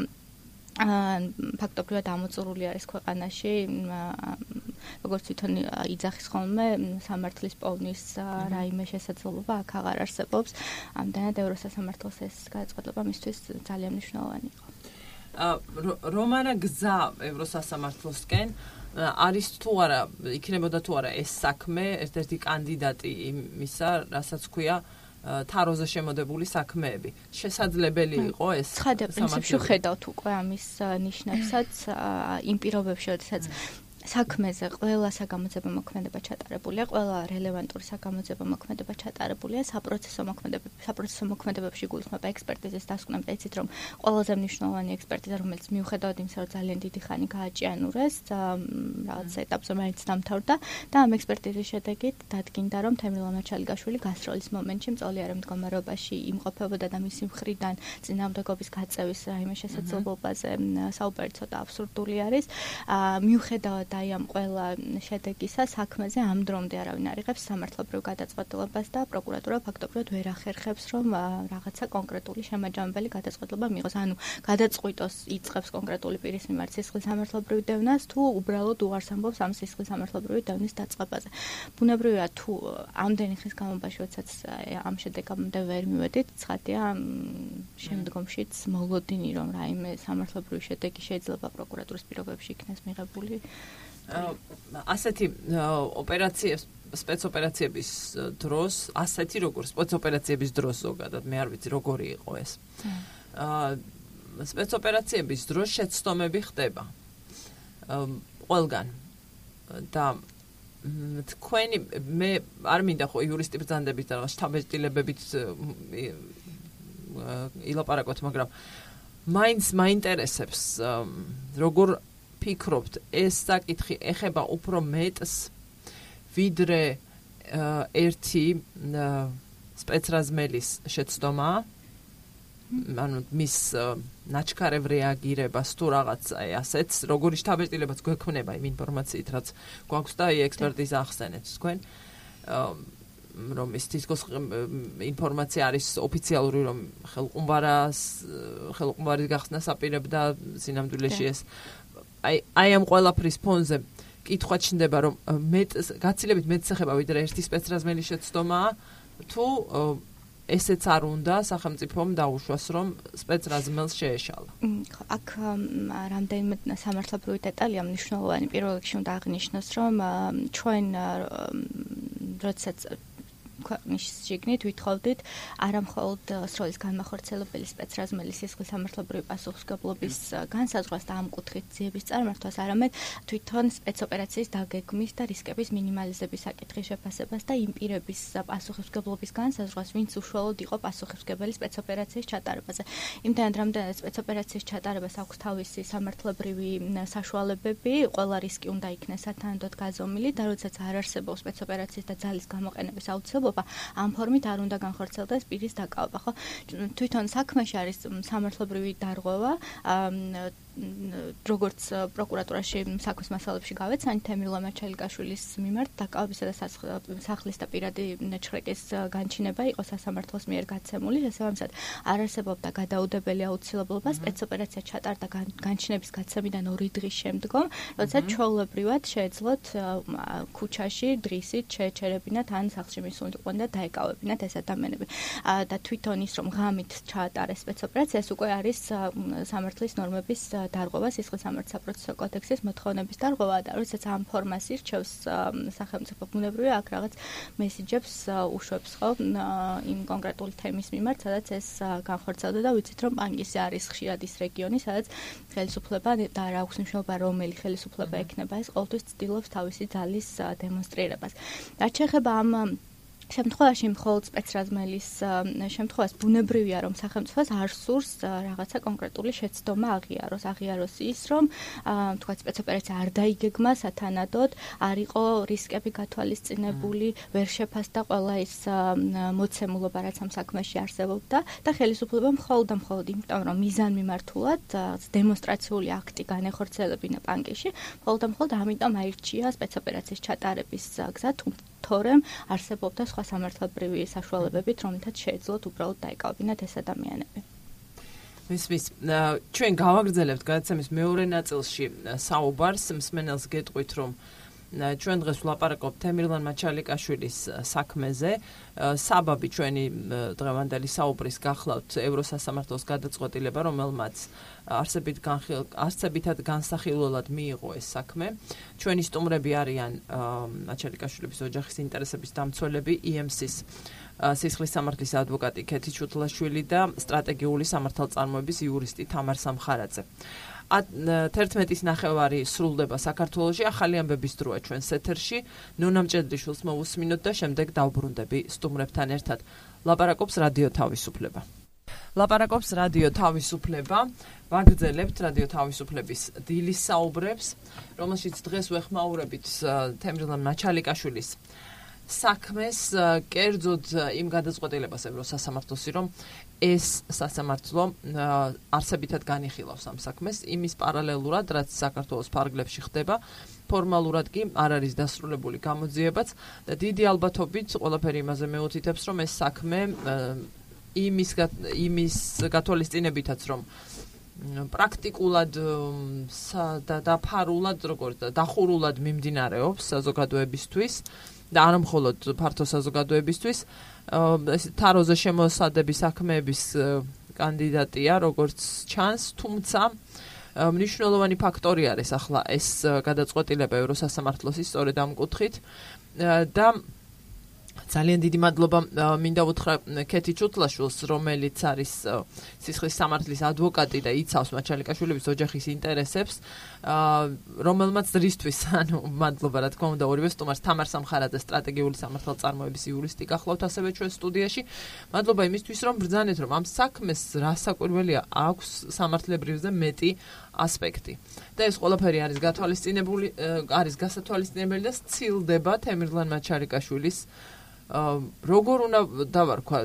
ფაქტობრივად ამოწურული არის ქვეყანაში როგორც თვითონ იძახის ხოლმე სამართლის პოვნის რაიმე შესაძლებლობა აქ აღარ არსებობს. ამდენად ევროსასამართლოს ეს გადაწყვეტილება მისთვის ძალიან მნიშვნელოვანი იყო. რომ არა გზა ევროსასამართლოსკენ არის თუ არა იქნებოდა თუ არა ეს საქმე ერთ-ერთი კანდიდატი იმისა, რასაც ქვია თაროზე შემოდებული საქმეები. შესაძლებელი იყო ეს? ცხადია, პრინციპში ხედავთ უკვე ამის ნიშნებსაც იმ პირობებში, როდესაც საქმეზე ყველა საგამოძიებო მოქმედება ჩატარებულია, ყველა რელევანტური საგამოძიებო მოქმედება ჩატარებულია, საპროცესო მოქმედებები, საპროცესო მოქმედებებში გულისხმობა ექსპერტიზის დასკვნამ და იცით, რომ ყველაზე მნიშვნელოვანი ექსპერტიზა, რომელიც მიუხედავად იმისა, რომ ძალიან დიდი ხანი გააჭიანურეს, რაღაც ეტაპზე მაინც დამთავრდა და ამ ექსპერტიზის შედეგით დადგინდა, რომ თემრილ ამაჩალიშვილი გასროლის მომენტში მწოლიარე მდგომარეობაში იმყოფებოდა და მისი მხრიდან წინააღმდეგობის გაწევის რაიმე შესაძლებლობაზე საუბარი ცოტა აბსურდული არის. მიუხედავად აი ამ ყველა შედეგისა საქმეზე ამ დრომდე არავინ არ იღებს სამართლებრივ გადაწყვეტილებას და პროკურატურა ფაქტობრივად ვერ ახერხებს, რომ რაღაცა კონკრეტული შემაჯამებელი გადაწყვეტილება მიიღოს. ანუ გადაწყვიტოს იწყებს კონკრეტული პირის მიმართ სისხლის სამართლებრივ დევნას თუ უბრალოდ უარს ამბობს ამ სისხლის სამართლებრივი დევნის დაწყებაზე. ბუნებრივია თუ ამდენი ხნის განმავლობაში, როდესაც ამ შედეგამდე ვერ მივედით, ცხადია შემდგომშიც მოლოდინი, რომ რაიმე სამართლებრივი შედეგი შეიძლება პროკურატურის პირობებში იქნეს მიღებული. ასეთი ოპერაციებს სპეცოპერაციების დროს, ასეთი როგორ სპეცოპერაციების დროს ზოგადად, მე არ ვიცი როგორი იყო ეს. სპეცოპერაციების დროს შეცდომები ხდება. ყველგან. და თქვენი მე არ მინდა ხო იურისტი ბრძანდებით და რაღაც შთაბეჭდილებებით ილაპარაკოთ, მაგრამ მაინც მაინტერესებს როგორ ფიქრობთ, ეს საკითხი ეხება უფრო მეტს ვიდრე ერთი სპეცრაზმელის შეცდომა, ანუ მის ნაჩქარევ რეაგირებას თუ რაღაც აი ასეც, როგორი შთაბეჭდილებაც გვექნება იმ ინფორმაციით, რაც გვაქვს და აი ექსპერტიზა ახსენეთ თქვენ, რომ ის თითქოს ინფორმაცია არის ოფიციალური, რომ ხელყუმბარას ხელყუმბარის გახსნას აპირებდა სინამდვილეში ეს აი აი ამ ყველაფრის ფონზე კითხვა ჩნდება, რომ მეტ გაცილებით მეტს ეხება ვიდრე ერთი სპეცრაზმელის შეცდომაა, თუ ესეც არ უნდა სახელმწიფომ დაუშვას, რომ სპეცრაზმელს შეეშალა. აქ რამდენიმე სამართლებრივი დეტალია მნიშვნელოვანი. პირველ რიგში უნდა აღნიშნოს, რომ ჩვენ როდესაც ქვეყნის შიგნით ვითხოვდით არა მხოლოდ სროლის განმახორციელებელი სპეცრაზმელის სისხლის სამართლებრივი პასუხისმგებლობის განსაზღვრას და ამ კუთხით ძიების წარმართვას, არამედ თვითონ სპეცოპერაციის დაგეგმის და რისკების მინიმალიზების საკითხის შეფასებას და იმ პირების პასუხისმგებლობის განსაზღვრას, ვინც უშუალოდ იყო პასუხისმგებელი სპეცოპერაციის ჩატარებაზე. იმდენად რამდენად სპეცოპერაციის ჩატარებას აქვს თავისი სამართლებრივი საშუალებები, ყველა რისკი უნდა იქნეს სათანადოდ გაზომილი და როდესაც არ არსებობს სპეცოპერაციის და ძალის გამოყენების აუცილებლობა, ამ ფორმით არ უნდა განხორციელდეს პირის დაკავება, ხო? თვითონ საქმეში არის სამართლებრივი დარღვევა, როგორც პროკურატურაში საქმის მასალებში გავეცანი თემრილ ამაჩალიკაშვილის მიმართ დაკავებისა და სახლის და პირადი ჩხრეკის განჩინება იყო სასამართლოს მიერ გაცემული, შესაბამისად არ არსებობდა გადაუდებელი აუცილებლობა სპეცოპერაცია ჩატარდა განჩინების გაცემიდან ორი დღის შემდგომ, როდესაც ჩვეულებრივად შეეძლოთ ქუჩაში დრისით შეეჩერებინათ ან სახლში მისულიყვნენ და დაეკავებინათ ეს ადამიანები. და თვითონ ის, რომ ღამით ჩაატარეს სპეცოპერაცია, ეს უკვე არის სამართლის ნორმების დარღვევა, სისხლის სამართლის საპროცესო კოდექსის მოთხოვნების დარღვევა და როდესაც ამ ფორმას ირჩევს სახელმწიფო, ბუნებრივია აქ რაღაც მესიჯებს უშვებს, ხო, იმ კონკრეტული თემის მიმართ, სადაც ეს განხორციელდა და ვიცით, რომ პანგისი არის ხშირად ის რეგიონი, სადაც ხელისუფლება და რა აქვს მნიშვნელობა, რომელი ხელისუფლება ექნება, ეს ყოველთვის ცდილობს თავისი ძალის დემონსტრირებას. რაც შეეხება ამ შემთხვევაში მხოლოდ სპეცრაზმელის შემთხვევას ბუნებრივია, რომ სახელმწიფოს არ სურს რაღაცა კონკრეტული შეცდომა აღიაროს. აღიაროს ის, რომ თქვა სპეცოპერაცია არ დაიგეგმა სათანადოდ, არ იყო რისკები გათვალისწინებული, ვერ შეფასდა ყველა ის მოცემულობა, რაც ამ საქმეში არსებობდა და ხელისუფლება მხოლოდ და მხოლოდ იმიტომ, რომ მიზანმიმართულად დემონსტრაციული აქტი განეხორციელებინა პანკიში, მხოლოდ და მხოლოდ ამიტომ აირჩია სპეცოპერაციის ჩატარების გზა, თორემ არსებობდა სხვა სამართლებრივი საშუალებებით, რომლითაც შეეძლოთ უბრალოდ დაეკავებინათ ეს ადამიანები. მისმის, ჩვენ გავაგრძელებთ გადაცემის მეორე ნაწილში საუბარს, მსმენელს გეტყვით, რომ ჩვენ დღეს ვლაპარაკობთ თემირლან მაჩალიკაშვილის საქმეზე. საბაბი ჩვენი დღევანდელი საუბრის გახლავთ ევროსასამართლოს გადაწყვეტილება, რომელმაც არსებით არსებითად განსახილველად მიიღო ეს საქმე. ჩვენი სტუმრები არიან მაჩალიკაშვილების ოჯახის ინტერესების დამცველები ი ემ სის სისხლის სამართლის ადვოკატი ქეთი ჩუთლაშვილი და სტრატეგიული სამართალწარმოების იურისტი თამარ სამხარაძე. თერთმეტის ნახევარი სრულდება საქართველოში, ახალი ამბების დროა ჩვენს ეთერში. ნონა მჭედლიშვილს მოვუსმინოთ და შემდეგ დავბრუნდები სტუმრებთან ერთად. ლაპარაკობს რადიო თავისუფლება. ლაპარაკობს რადიო თავისუფლება. ვაგრძელებთ რადიო თავისუფლების დილის საუბრებს, რომელშიც დღეს ვეხმაურებით თემირლან მაჩალიკაშვილის საქმეს, კერძოდ იმ გადაწყვეტილებას ევროსასამართლოსი, რომ ეს სასამართლო არსებითად განიხილავს ამ საქმეს, იმის პარალელურად, რაც საქართველოს ფარგლებში ხდება, ფორმალურად კი არ არის დასრულებული გამოძიებაც და დიდი ალბათობით ყველაფერი იმაზე მეუთითებს, რომ ეს საქმე იმის იმის გათვალისწინებითაც, რომ პრაქტიკულად და დაფარულად, როგორც დახურულად მიმდინარეობს საზოგადოებისთვის და არა მხოლოდ ფართო საზოგადოებისთვის, ეს თაროზე შემოსადების საქმეების კანდიდატია, როგორც ჩანს, თუმცა მნიშვნელოვანი ფაქტორი არის ახლა ეს გადაწყვეტილება ევროსასამართლოსის სწორედ ამ კუთხით და ძალიან დიდი მადლობა მინდა უთხრა ქეთი ჩუთლაშვილს, რომელიც არის სისხლის სამართლის ადვოკატი და იცავს მაჩალიკაშვილების ოჯახის ინტერესებს, რომელმაც რისთვის, ანუ მადლობა რა თქმა უნდა ორივე სტუმარს, თამარ სამხარაძე სტრატეგიული სამართალწარმოების იურისტი გახლავთ ასევე ჩვენ სტუდიაში. მადლობა იმისთვის, რომ ბრძანეთ, რომ ამ საქმეს რასაკვირველია აქვს სამართლებრივზე მეტი ასპექტი. და ეს ყველაფერი არის გათვალისწინებული, არის გასათვალისწინებელი და სცილდება თემირლან მაჩალიკაშვილის როგორ უნდა დავარქვა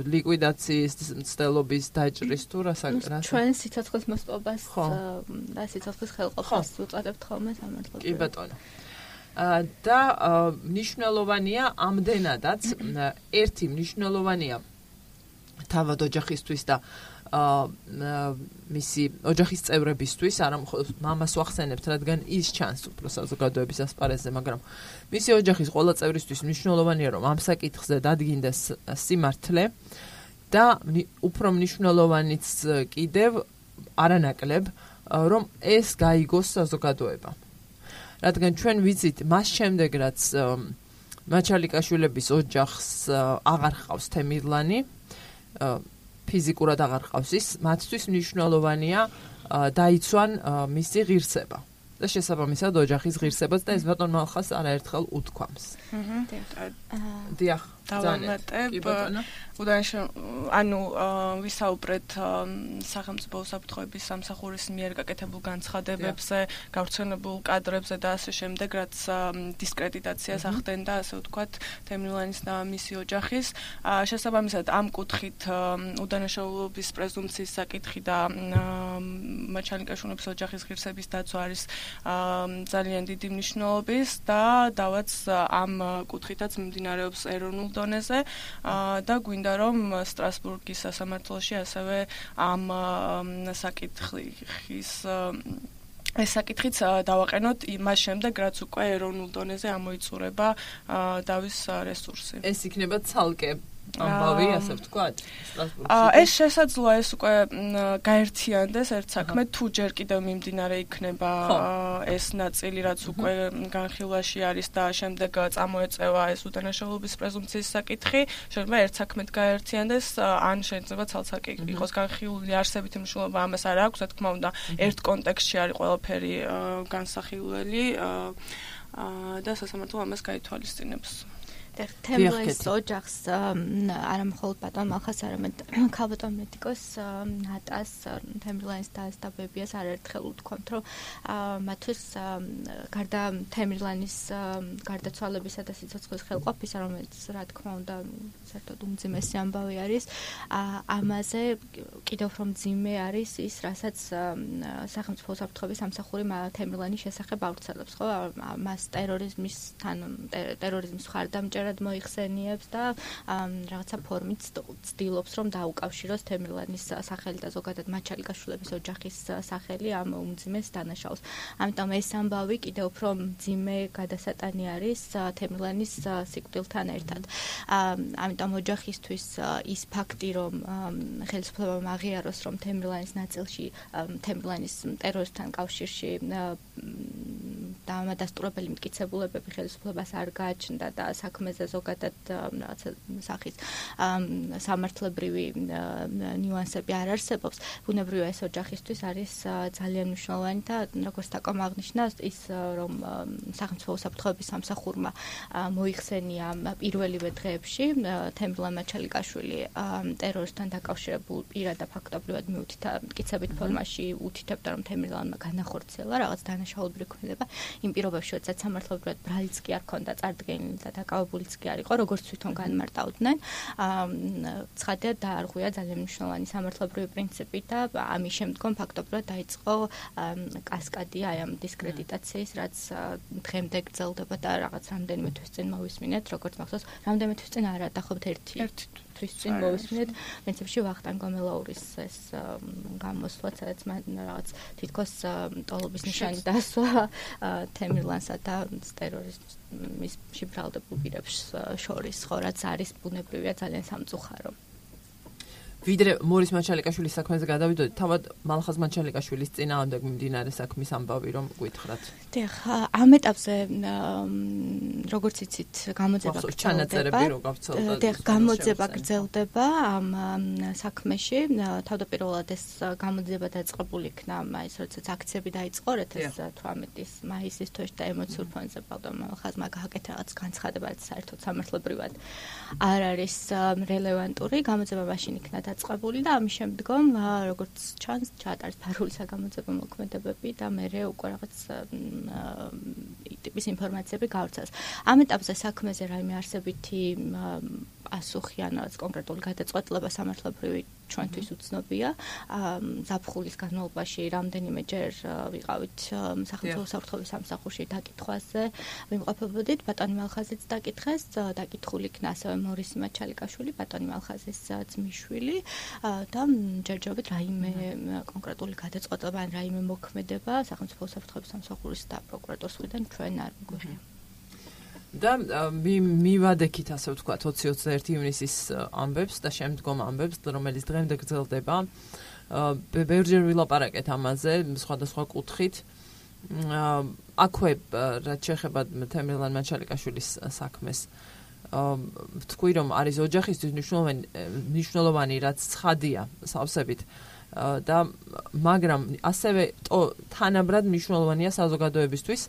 ლიკვიდაციის მცდელობის დაჭრის თუ რასაკრა ჩვენ სიცოცხლის მოსპობას და სიცოცხლის ხელყოფას ვუწოდებთ ხოლმე სამართლებრივად. კი ბატონო. და მნიშვნელოვანია ამდენადაც ერთი მნიშვნელოვანია თავად ოჯახისთვის და მისი ოჯახის წევრებისთვის, არა მხოლოდ მამას ვახსენებთ, რადგან ის ჩანს უფრო საზოგადოების ასპარეზზე, მაგრამ მისი ოჯახის ყველა წევრისთვის მნიშვნელოვანია, რომ ამ საკითხზე დადგინდეს სიმართლე და უფრო მნიშვნელოვანიც კიდევ არანაკლებ, რომ ეს გაიგოს საზოგადოებამ. რადგან ჩვენ ვიცით, მას შემდეგ, რაც მაჩალიკაშვილების ოჯახს აღარ ჰყავს თემირლანი, ფიზიკურად აღარ ყავს ის, მათთვის მნიშვნელოვანია დაიცვან მისი ღირსება და შესაბამისად ოჯახის ღირსებაც და ეს ბატონ მალხას არაერთხელ უთქვამს. დიახ, დავამატებ. უდანაშო, ანუ ვისაუბრეთ სახელმწიფო უსაფრთხოების სამსახურის მიერ გაკეთებულ განცხადებებზე, გავრცელებულ კადრებზე და ასე შემდეგ, რაც დისკრედიტაციას ახდენდა, ასე ვთქვათ, თემირლანის და მისი ოჯახის. შესაბამისად, ამ კუთხით უდანაშაულობის პრეზუმპციის საკითხი და მაჩალიკაშვილების ოჯახის ღირსების დაცვა არის ძალიან დიდი მნიშვნელობის და დავაც ამ კუთხითაც მიმდინარეობს ეროვნულ დონეზე და გვინდა რომ სტრასბურგის სასამართლოში ასევე ამ საკითხის ეს საკითხიც დავაყენოთ იმას შემდეგ, რაც უკვე ეროვნულ დონეზე ამოიწურება დავის რესურსი. ეს იქნება ცალკე ამბავი, ასე ვთქვათ, სტრასბურგში. ეს შესაძლოა ეს უკვე გაერთიანდეს ერთ საქმე, თუ ჯერ კიდევ მიმდინარე იქნება ეს ნაწილი, რაც უკვე განხილვაში არის და შემდეგ წამოეწევა ეს უდანაშაულობის პრეზუმპციის საკითხი, შეიძლება ერთ საქმედ გაერთიანდეს, ან შეიძლება ცალ-ცალკე იყოს განხილული არსებითი მნიშვნელობა ამას არ აქვს, რა თქმა უნდა, ერთ კონტექსტში არის ყველაფერი განსახილველი და სასამართლო ამას გაითვალისწინებს. თემირლანის ოჯახს არა მხოლოდ ბატონ მალხას, არამედ ქალბატონ მედიკოს ნატას, თემირლანის დას და ბებიას არაერთხელ უთქვამთ, რომ მათთვის გარდა თემირლანის გარდაცვალებისა და სიცოცხლის ხელყოფისა, რომელიც რა თქმა უნდა საერთოდ უმძიმესი ამბავი არის, ამაზე კიდევ უფრო მძიმე არის ის, რასაც სახელმწიფო უსაფრთხოების სამსახური თემირლანის შესახებ ავრცელებს, ხო? მას ტერორიზმისთან ტერორიზმის მხარდამჭერ ნაკლიერად მოიხსენიებს და რაღაცა ფორმით ცდილობს რომ დაუკავშიროს თემრლანის სახელი და ზოგადად მაჩალიკაშვილების ოჯახის სახელი ამ უმძიმეს დანაშაულს. ამიტომ ეს ამბავი კიდევ უფრო მძიმე გადასატანი არის თემრლანის სიკვდილთან ერთად. ამიტომ ოჯახისთვის ის ფაქტი რომ ხელისუფლებამ აღიაროს რომ თემრლანის ნაწილში თემრლანის ტერორისთან კავშირში დამადასტურებელი მტკიცებულებები ხელისუფლებას არ გააჩნდა და საქმეზე ზოგადად რაღაცა სახის სამართლებრივი ნიუანსები არ არსებობს. ბუნებრივია ეს ოჯახისთვის არის ძალიან მნიშვნელოვანი და როგორც თაკომ აღნიშნა ის რომ სახელმწიფო უსაფრთხოების სამსახურმა მოიხსენია პირველივე დღეებში თემრლან მაჩალიკაშვილი ტერორისთან დაკავშირებულ პირად და ფაქტობრივად მიუთითა მტკიცებით ფორმაში უთითებდა რომ თემრლანმა განახორციელა რაღაც დანაშაულობრივი ქმედება იმ პირობებში როდესაც სამართლებრივად ბრალიც კი არ ქონდა წარდგენილი და დაკავებულიც კი არ იყო როგორც თვითონ განმარტავდნენ ცხადია დაარღვია ძალიან მნიშვნელოვანი სამართლებრივი პრინციპი და ამის შემდგომ ფაქტობრივად დაიწყო კასკადი აი ამ დისკრედიტაციის რაც დღემდე გრძელდება და რაღაც რამდენიმე თვის წინ მოვისმინეთ როგორც მახსოვს რამდენიმე თვის წინ არა დაახლოებით ერთი თვის წინ მოვისმინეთ პრინციპში ვახტანგ გომელაურის ეს გამოსვლა სადაც რაღაც თითქოს ტოლობის ნიშანი დასვა თემრლანსა და ტერორიზმის შებრალდებულ პირებს შორის ხო რაც არის ბუნებრივია ძალიან სამწუხარო. ვიდრე მორის მაჩალიკაშვილის საქმეზე გადავიდოდით, თავად მალხაზ მაჩალიკაშვილის წინააღმდეგ მიმდინარე საქმის ამბავი რომ გვითხრათ. დიახ, ამ ეტაპზე როგორც იცით, გამოძება ჩანაწერები რო გავცელდა. დიახ, გამოძება გრძელდება ამ საქმეში. თავდაპირველად ეს გამოძება დაწყებული იქნა, აი ეს როდესაც აქციები დაიწყო deux mille თვრამეტის მაისის თვეში და ემოციურ ფონზე ბავშვმა მალხაზმა გააკეთა რაღაც განცხადება, რაც საერთოდ სამართლებრივად არ არის რელევანტური. გამოძება მაშინ იქნა დაწყებული და ამის შემდგომ როგორც ჩანს ჩაატარეს ფარული საგამოძიებო მოქმედებები და მერე უკვე რაღაც ტიპის ინფორმაციები გავრცელეს. ამ ეტაპზე საქმეზე რაიმე არსებითი პასუხი ან რაღაც კონკრეტული გადაწყვეტილება სამართლებრივი ჩვენთვის უცნობია. ზაფხულის განმავლობაში რამდენიმეჯერ ვიყავით სახელმწიფო უსაფრთხოების სამსახურში დაკითხვაზე ვიმყოფებოდით. ბატონი მალხაზიც დაკითხეს, დაკითხული იქნა ასევე მორისი მაჩალიკაშვილი, ბატონი მალხაზის ძმისშვილი და ჯერჯერობით რაიმე კონკრეტული გადაწყვეტილება ან რაიმე მოქმედება სახელმწიფო უსაფრთხოების სამსახურის და პროკურატურის მხრიდან ჩვენ არ გვეღია. და მივადექით ასე ვთქვათ ოცი ოცდაერთი ივნისის ამბებს და შემდგომ ამბებს რომელიც დღემდე გრძელდება ბევრჯერ ვილაპარაკეთ ამაზე სხვადასხვა კუთხით აქვე რაც შეეხება თემრლან მაჩალიკაშვილის საქმეს ვთქვი რომ არის ოჯახისთვის მნიშვნელოვანი მნიშვნელოვანი რაც ცხადია სავსებით და მაგრამ ასევე თანაბრად მნიშვნელოვანია საზოგადოებისთვის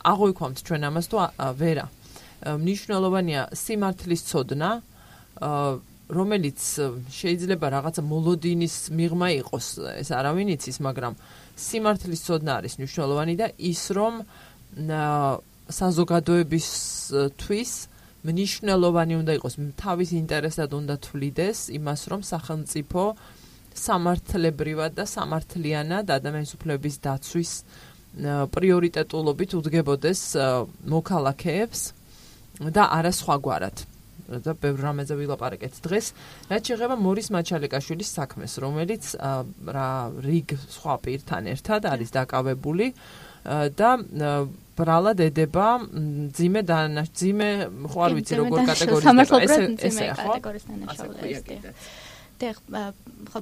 აღვიქვამთ ჩვენ ამას თუ ვერა მნიშვნელოვანია სიმართლის ცოდნა რომელიც შეიძლება რაღაცა მოლოდინის მიღმა იყოს ეს არავინ იცის მაგრამ სიმართლის ცოდნა არის მნიშვნელოვანი და ის რომ საზოგადოებისთვის მნიშვნელოვანი უნდა იყოს თავის ინტერესად უნდა თვლიდეს იმას რომ სახელმწიფო სამართლებრივად და სამართლიანად ადამიანის უფლებების დაცვის პრიორიტეტულობით უდგებოდეს მოქალაქეებს და არა სხვაგვარად. და ბევრ რამეზე ვილაპარაკეთ დღეს. რაც შეეხება მორის მაჩალიკაშვილის საქმეს, რომელიც რა რიგ სხვა პირთან ერთად არის დაკავებული და ბრალად ედება ძიმე და ძიმე ხო არ ვიცი როგორ კატეგორიზდება ესე კატეგორიის დანაშაულები. დიახ,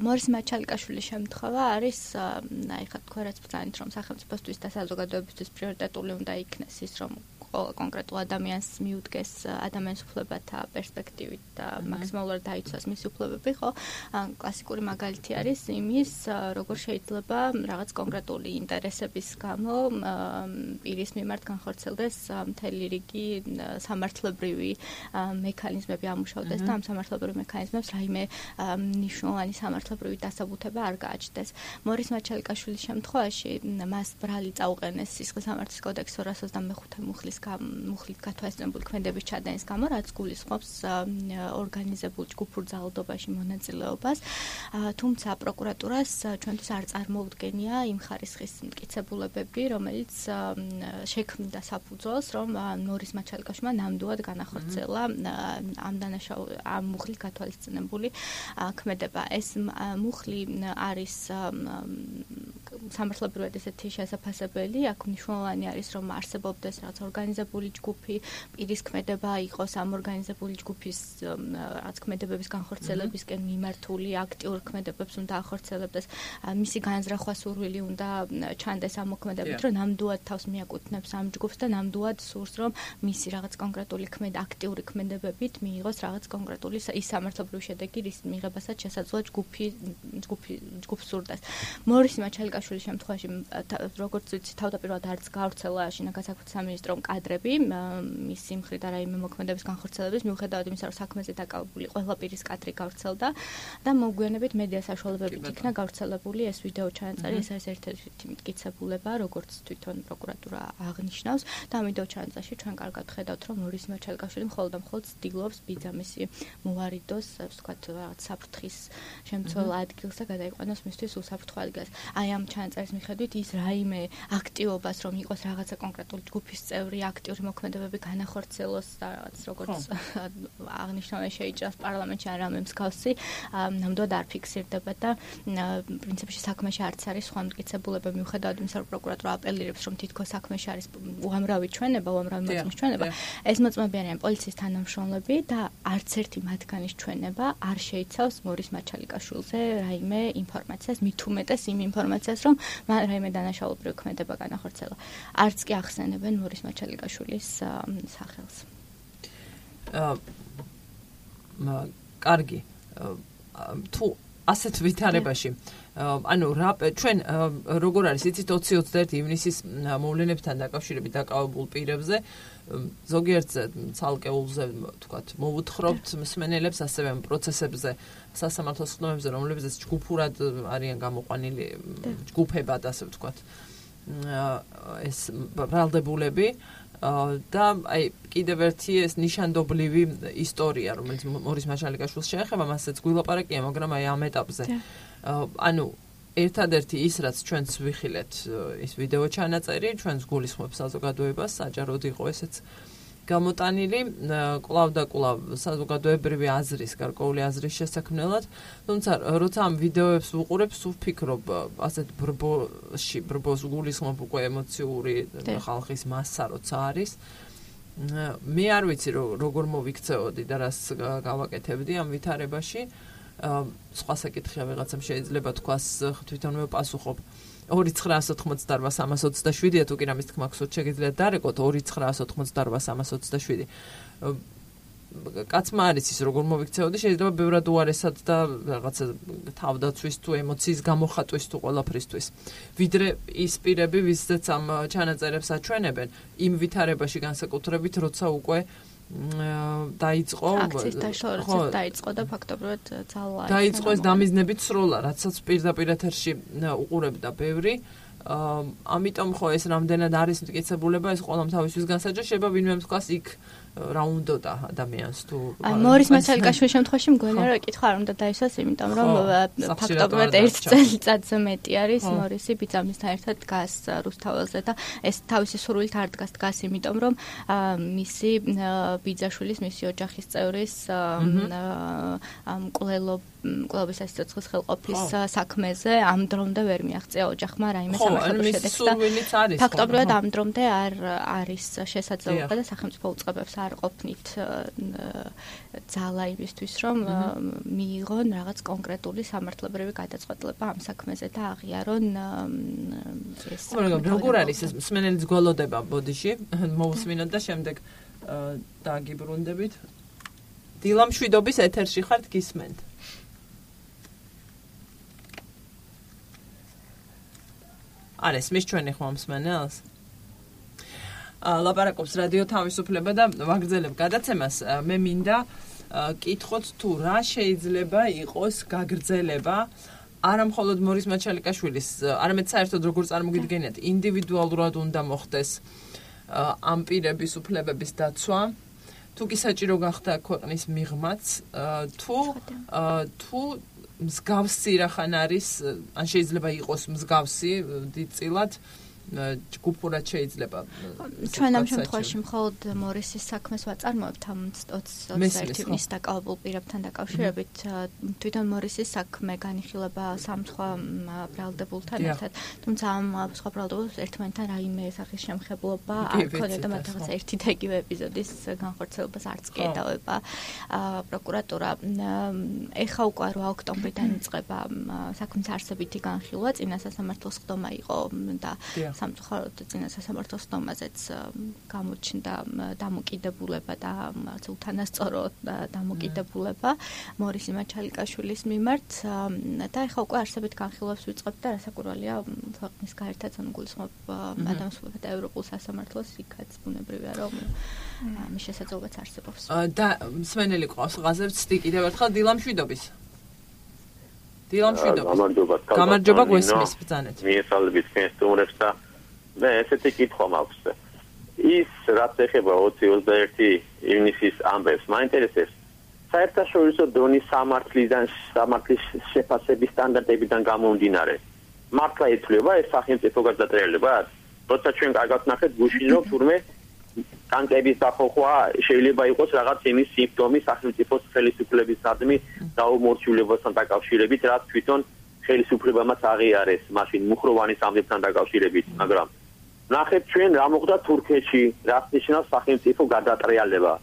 მორის მაჩალიკაშვილის შემთხვევა არის, აი ხა თქვა რაც ბრძანით რომ სახელმწიფოსთვის და საზოგადოებისთვის პრიორიტეტული უნდა იქნეს ის რომ კონკრეტულ ადამიანს მიუდგეს ადამიანის უფლებათა პერსპექტივით და მაქსიმალურად დაიცვას მისი უფლებები, ხო? კლასიკური მაგალითი არის იმის, როგორ შეიძლება რაღაც კონკრეტული ინტერესების გამო პირის მიმართ განხორციელდეს მთელი რიგი სამართლებრივი მექანიზმები ამუშავდეს და ამ სამართლებრივი მექანიზმებს რაიმე მნიშვნელოვანი სამართლებრივი დასაბუთება არ გააჩნდეს. მორის მაჩალიკაშვილის შემთხვევაში მას ბრალი წაუყენეს სისხლის სამართლის კოდექსის ორას ოცდამეხუთე მუხლის მუხლით გათვალისწინებული ქმედების ჩადენის გამო, რაც გულისხმობს ორგანიზებულ ჯგუფურ ძალადობაში მონაწილეობას. თუმცა პროკურატურას ჩვენთვის არ წარმოუდგენია იმ ხარისხის მტკიცებულებები, რომელიც შექმნიდა საფუძველს, რომ ნორის მაჩალიკაშვილმა ნამდვილად განახორციელა ამ დანაშაულ ამ მუხლით გათვალისწინებული ქმედება. ეს მუხლი არის სამართლებრივად ესეთი შესაძლებელი, აქ მნიშვნელოვანი არის, რომ არსებობდეს რაც ორგანიზებული ჯგუფი, პირის ქმედება იყოს ამ ორგანიზებული ჯგუფის რაც ქმედებების განხორციელებისკენ მიმართული აქტიურ ქმედებებს უნდა ახორციელებდეს, მისი განზრახვა სურვილი უნდა ჩანდეს ამ მოქმედებით, რომ ნამდვილად თავს მიაკუთვნებს ამ ჯგუფს და ნამდვილად სურს, რომ მისი რაღაც კონკრეტული ქმედ აქტიური ქმედებებით მიიღოს რაღაც კონკრეტული ის სამართლებრივი შედეგი, რის მიღებასაც შესაძლოა ჯგუფი ჯგუფი ჯგუფს სურდეს. მორისი მაჩალიკაშვილის შემთხვევაში, როგორც ვიცი, თავდაპირველად არც გავრცელა შინაგან საქმეთა სამინისტრომ კადრები მისი მხრიდან რაიმე მოქმედების განხორციელების, მიუხედავად იმისა, რომ საქმეზე დაკავებული ყველა პირის კადრი გავრცელდა და მოგვიანებით მედია საშუალებებით იქნა გავრცელებული ეს ვიდეო ჩანაწერი, ეს არის ერთ-ერთი მტკიცებულება, როგორც თვითონ პროკურატურა აღნიშნავს და ამ ვიდეო ჩანაწერში ჩვენ კარგად ხედავთ, რომ მორისი მაჩალიკაშვილი მხოლოდ და მხოლოდ ცდილობს ბიძამისი მოვარიდოს, ასე ვთქვათ, რაღაც საფრთხის შემცველ ადგილს და გადაიყვანოს მისთვის უსაფრთხო ადგილს. აი ამ ჩანაწერის მიხედვით ის რაიმე აქტივობას, რომ იყოს რაღაცა კონკრეტული ჯგუფის წევრი, აქტიური მოქმედებები განახორციელოს და რაღაც როგორც აღნიშნული შეიჭრას პარლამენტში არ რამე მსგავსი, ნამდვილად არ ფიქსირდება და პრინციპში საქმეში არც არის სხვა მტკიცებულება, მიუხედავად იმისა, რომ პროკურატურა აპელირებს, რომ თითქოს საქმეში არის უამრავი ჩვენება, უამრავი მოწმის ჩვენება, ეს მოწმეები არიან პოლიციის თანამშრომლები და არც ერთი მათგანის ჩვენება არ შეიცავს მორის მაჩალიკაშვილზე რაიმე ინფორმაციას, მით უმეტეს იმ ინფორმაციას, რომ მან რაიმე დანაშაულებრივი ქმედება განახორციელა. არც კი ახსენებენ მორის მაჩალიკაშვილის სახელს. კარგი. თუ ასეთ ვითარებაში ანუ რა ჩვენ როგორ არის იცით ოცი ოცდაერთი ივნისის მოვლენებთან დაკავშირებით დაკავებულ პირებზე ზოგიერთზე ცალკეულზე თქვათ მოვუთხრობთ მსმენელებს ასევე პროცესებზე სასამართლოს ხდომებზე რომლებზეც ჯგუფურად არიან გამოყვანილი ჯგუფებად ასე ვთქვათ ეს ბრალდებულები და აი კიდევ ერთი ეს ნიშანდობლივი ისტორია რომელიც მორის მაჩალიკაშვილს შეეხება მასაც გვილაპარაკია მაგრამ აი ამ ეტაპზე ანუ ერთადერთი ის რაც ჩვენც ვიხილეთ ის ვიდეო ჩანაწერი ჩვენს გულისხმობს საზოგადოებას საჯაროდ იყო ესეც გამოტანილი კვლავ და კვლავ საზოგადოებრივი აზრის გარკვეული აზრის შესაქმნელად თუმცა როცა ამ ვიდეოებს ვუყურებ სულ ვფიქრობ ასეთ ბრბოში ბრბოს გულისხმობ უკვე ემოციური ხალხის მასა როცა არის მე არ ვიცი როგორ მოვიქცეოდი და რას გავაკეთებდი ამ ვითარებაში სხვა საკითხია ვიღაცამ შეიძლება თქვას თვითონვე პასუხობ ორი ცხრაას ოთხმოცდაოთხ სამას ოცდაშვიდია თუ კი რამის თქმა გსურთ შეგიძლიათ დარეკოთ ორი ცხრაას ოთხმოცდაოთხ სამას ოცდაშვიდი კაცმა არის ის როგორ მოვიქცეოდი შეიძლება ბევრად უარესად და რაღაცა თავდაცვის თუ ემოციის გამოხატვის თუ ყველაფრისთვის ვიდრე ის პირები ვისაც ამ ჩანაწერებს აჩვენებენ იმ ვითარებაში განსაკუთრებით როცა უკვე დაიწყო აქციის დაშორება დაიწყო და ფაქტობრივად ძალა დაიწყო ეს დამიზნებით სროლა რასაც პირდაპირ ეთერში უყურებდა ბევრი ამიტომ ხო ეს რამდენად არის მტკიცებულება ეს ყველამ თავისთვის განსაჯა შეიძლება ვინმე თქვას იქ რა უნდოდა ადამიანს თუ მორის მაჩალიკაშვილის შემთხვევაში მგონია რომ კითხვა არ უნდა დაისვას იმიტომ რომ ფაქტობრივად ერთ წელიწადზე მეტი არის მორისი ბიძამისთან ერთად დგას რუსთაველზე და ეს თავისი სურვილით არ დგას დგას იმიტომ რომ მისი ბიძაშვილის მისი ოჯახის წევრის მკვლელობ მკვლელობის სიცოცხლის ხელყოფის საქმეზე ამ დრომდე ვერ მიაღწია ოჯახმა რაიმე სამართლებრივ შედეგს და ფაქტობრივად ამ დრომდე არ არის შესაძლებლობა და სახელმწიფო უწყებებს არ ყოფნით ძალა იმისთვის რომ მიიღონ რაღაც კონკრეტული სამართლებრივი გადაწყვეტილება ამ საქმეზე და აღიარონ ეს როგორ არის ეს მსმენელის გველოდება ბოდიში მოусმინოთ და შემდეგ დაგიბრუნდებით დილამშვიდობის ეთერში ხართ გისმენთ არის მის ჩვენი ხმა მსმენელს ლაპარაკობს რადიო თავისუფლება და ვაგრძელებ გადაცემას მე მინდა კითხოთ თუ რა შეიძლება იყოს გაგრძელება არა მხოლოდ მორის მაჩალიკაშვილის არამედ საერთოდ როგორ წარმოგიდგენიათ ინდივიდუალურად უნდა მოხდეს ამ პირების უფლებების დაცვა თუ კი საჭირო გახდა ქვეყნის მიღმაც თუ თუ მსგავსი რახან არის ან შეიძლება იყოს მსგავსი დიდწილად ჯგუფურად შეიძლება ჩვენ ამ შემთხვევაში მხოლოდ მორისის საქმეს ვაწარმოებთ ამ ოცდაერთის დაკავებულ პირებთან დაკავშირებით თვითონ მორისის საქმე განიხილება სამ სხვა ბრალდებულთან ერთად თუმცა ამ სხვა ბრალდებულს ერთმანეთთან რაიმე სახის შემხებლობა არ ქონია და მათ რაღაც ერთი და იგივე ეპიზოდის განხორციელებას არც კი ედავება პროკურატურა ეხა უკვე რვა ოქტომბრიდან იწყება საქმის არსებითი განხილვა წინა სასამართლოს ხდომა იყო და სამწუხაროდ წინა სასამართლოს ხდომაზეც გამოჩნდა დამოკიდებულება და უთანასწორო დამოკიდებულება მორისი მაჩალიკაშვილის მიმართ და ეხლა უკვე არსებით განხილვას ვიწყებთ და რასაკვირველია ქვეყნის გაერთად გულისხმობ ადამიანთა და ევროპულ სასამართლოს იქაც ბუნებრივია რომ მის შესაძლებლობაც არსებობს და მსმენელი ყავს ღაზევს კიდევ ერთხელ დილამშვიდობის დილამშვიდობა გამარჯობა გვესმის ბრძანეთ მიესალმებით თქვენს სტუმრებს და მე ესეთი კითხვა მაქვს ის რაც ეხება ოცი ოცდაერთი ივნისის ამბებს მაინტერესებს საერთაშორისო დონის სამართლიდან სამართლის შეფასების სტანდარტებიდან გამომდინარე მართლა ითვლება ეს სახელმწიფო გადატრიალება როცა ჩვენ კარგად ნახეთ გუშინ რომ თურმე ტანკების დახოხვა შეიძლება იყოს რაღაც იმის სიმპტომი სახელმწიფოს ხელისუფლების სადმი დაუმორჩილებასთან დაკავშირებით რაც თვითონ ხელისუფლებამაც აღიარეს მაშინ მუხროვანის ამბებთან დაკავშირებით მაგრამ ნახეთ ჩვენ რა მოხდა თურქეთში რაც ნიშნავს სახელმწიფო გადატრიალება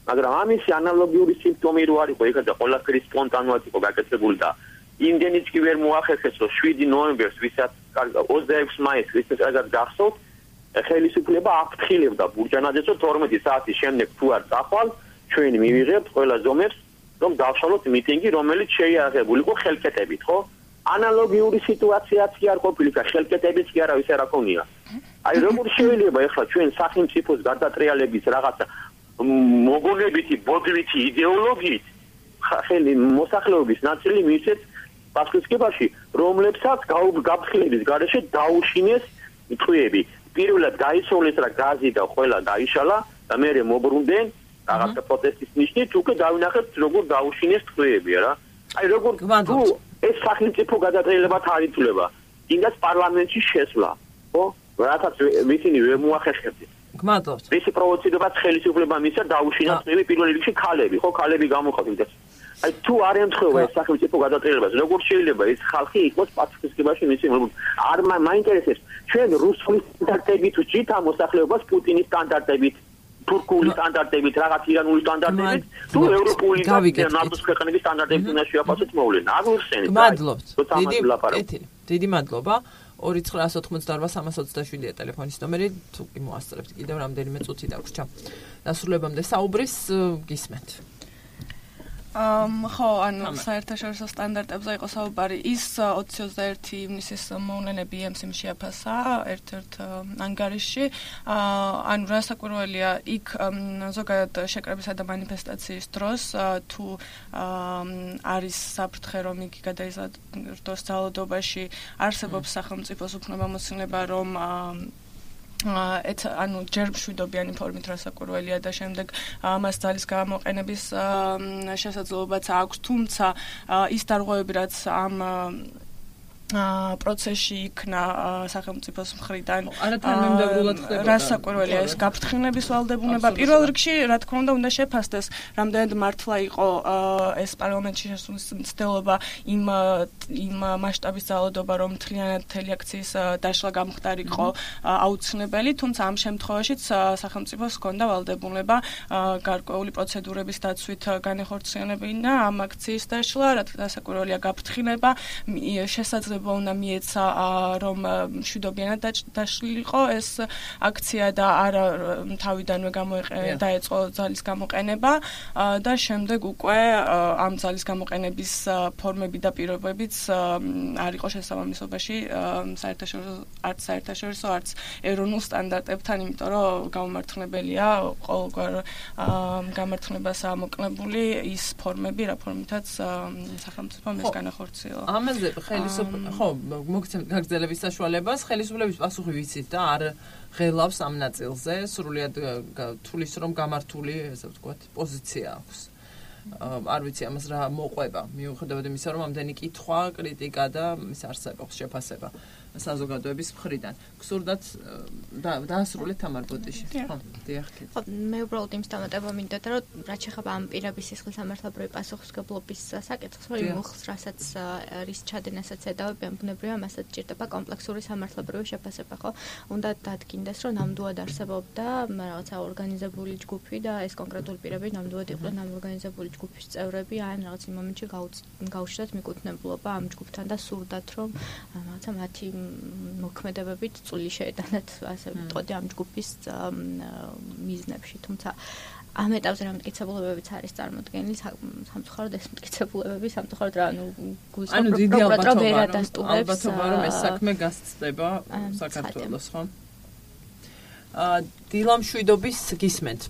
მაგრამ ამისი ანალოგიური სიმპტომი რო არისო ეხლა ყველაფერი სპონტანურად იყო გაკეთებული და იმდენიც კი ვერ მოახერხეს რომ შვიდი ნოემბერს ვისაც ოცდაექვსი მაისს ვისაც კარგად გახსოვთ ხელისუფლება აფრთხილებდა ბურჯანაძეს რომ თორმეტი საათის შემდეგ თუ არ წახვალ ჩვენ მივიღებთ ყველა ზომებს რომ დავშალოთ მიტინგი რომელიც შეიარაღებული იყო ხელკეტებით ხო ანალოგიური სიტუაციაც კი არ ყოფილიყო ხელკეტებიც კი არავის არ აკონია აი როგორ შეიძლება ახლა ჩვენ სახელმწიფოს გადატრიალების რაღაცა მოგონებითი ბოდვითი იდეოლოგიით ხელი მოსახლეობის ნაწილი მისცეს პასუხისგებაში რომლებსაც გაფრთხილების გარეშე დაუშინეს ტყვიები პირველად გაისროლეს რა გაზი და ყველა დაიშალა და მერე მობრუნდნენ რაღაცა პროტესტის ნიშნით უკვე დავინახეთ როგორ დაუშინეს ტყვიები რა აი როგორ თუ ეს სახელმწიფო გადატრიალება არ ითვლება იმას პარლამენტში შესვლა ხო რასაც ისინი ვერ მოახერხებდნენ გმადლობთ მისი პროვოცირებაც ხელისუფლება მისცა დაუშინა ტყვიები პირველ რიგში ქალები ხო ქალები გამოყავდით აი თუ არ ემთხვევა ეს სახელმწიფო გადატრიალებას როგორ შეიძლება ეს ხალხი იყოს პასუხისგებაში მისი არ მაინტერესებს ჩვენ რუსული სტანდარტებით ვჭით ამ მოსახლეობას პუტინის სტანდარტებით თურქული სტანდარტებით რაღაც ირანული სტანდარტებით თუ ევროპული და ნატოს ქვეყნების სტანდარტებით უნდა შეაფასოთ მოვლენა არ ვიხსენებ გმადლობთ დიდი დიდი მადლობა ორი ცხრა ოთხმოცდაორვა სამას ოცდაშვიდია ტელეფონის ნომერი თუ კი მოასწრებთ კიდევ რამდენიმე წუთი დაგვრჩა დასრულებამდე საუბრის გისმენთ Um, ხო, ანუ საერთაშორისო სტანდარტებზე იყო საუბარი ის ოცი ოცდაერთი ივნისის მოვლენები ემსიმ შეაფასა ერთ-ერთ ანგარიშში. ანუ რასაკვირველია, იქ ზოგადად შეკრებისა და მანიფესტაციის დროს თუ არის საფრთხე, რომ იგი გადაიზარდოს ძალადობაში, არსებობს სახელმწიფოს უფლებამოსილება, რომ ეთ ანუ ჯერ მშვიდობიანი ფორმით რასაკვირველია და შემდეგ მას ძალის გამოყენების შესაძლებლობაც აქვს, თუმცა ის დარღვევები, რაც ამ პროცესში იქნა სახელმწიფოს მხრიდან რასაკვირველია ეს გაფრთხილების ვალდებულება პირველ რიგში რა თქმა უნდა უნდა შეფასდეს რამდენად მართლა იყო ეს პარლამენტში შესulis მცდელობა იმ იმ მასშტაბის ძალადობა რომ მთლიანად მთელი აქციის დაშლა გამხდარიყო აუცილებელი თუმცა ამ შემთხვევაშიც სახელმწიფოს ჰქონდა ვალდებულება გარკვეული პროცედურების დაცვით განეხორციელებინა ამ აქციის დაშლა რასაკვირველია გაფრთხილება შესაძლებელი უნდა მიეცა რომ მშვიდობიანად დაშლილიყო ეს აქცია და არა თავიდანვე დაეწყო ძალის გამოყენება და შემდეგ უკვე ამ ძალის გამოყენების ფორმები და პირობებიც არ იყო შესაბამისობაში საერთაშორისო არც საერთაშორისო არც ეროვნულ სტანდარტებთან, იმიტომ რომ გამომართლებელია ყოველგვარ გამართლებას ამოკლებული ის ფორმები, რა ფორმითაც სახელმწიფომ ეს განახორციელა. ამაზე ხელისუფლება ხო, მოგცემთ გაგრძელების საშუალებას, ხელისუფლების პასუხი ვიცით და არ ღელავს ამ ნაწილზე, სრულიად თulis რომ გამართული, ესე ვთქვათ, პოზიცია აქვს. არ ვიცი ამას რა მოყვება, მიუხედავად იმისა, რომ ამდენი კითხვა, კრიტიკა და ის არსებობს შეფასება საზოგადოების მხრიდან. გსურდათ დაასრულეთ თამარ ბოდიში. ხო, დიახ. ხო, მე უბრალოდ იმის დამატება მინდა, რომ რაც შეეხება ამ პირების სისხლის სამართლებრივი პასუხისმგებლობის საკითხს, რომ იმხს, რასაც რის ჩადენასაც ედავებიან, ბუნებრივია, მასაც ჭირდება კომპლექსური სამართლებრივი შეფასება, ხო? უნდა დადგინდეს, რომ ნამდვილად არსებობდა რაღაცა ორგანიზებული ჯგუფი და ეს კონკრეტული პირები ნამდვილად იყვნენ ამ ორგანიზებული ჯგუფის წევრები, ან რაღაც იმ მომენტში გაუჩნდათ მიკუთვნებულობა ამ ჯგუფთან და სურდათ, რომ რაღაცა მათი მოქმედებებით წვლილი შეეტანათ, ასე ვიტყოდი, ამ ჯგუფის მიზნებში, თუმცა ამ ეტაპზე რა მტკიცებულებებიც არის წარმოდგენილი, სამწუხაროდ ეს მტკიცებულებები სამწუხაროდ რა, ანუ გულისხმობ პროკურატურა ვერ ადასტურებს. ალბათობა რომ ეს საქმე გასწდება საქართველოს, ხო? აა დილამშვიდობის გისმენთ.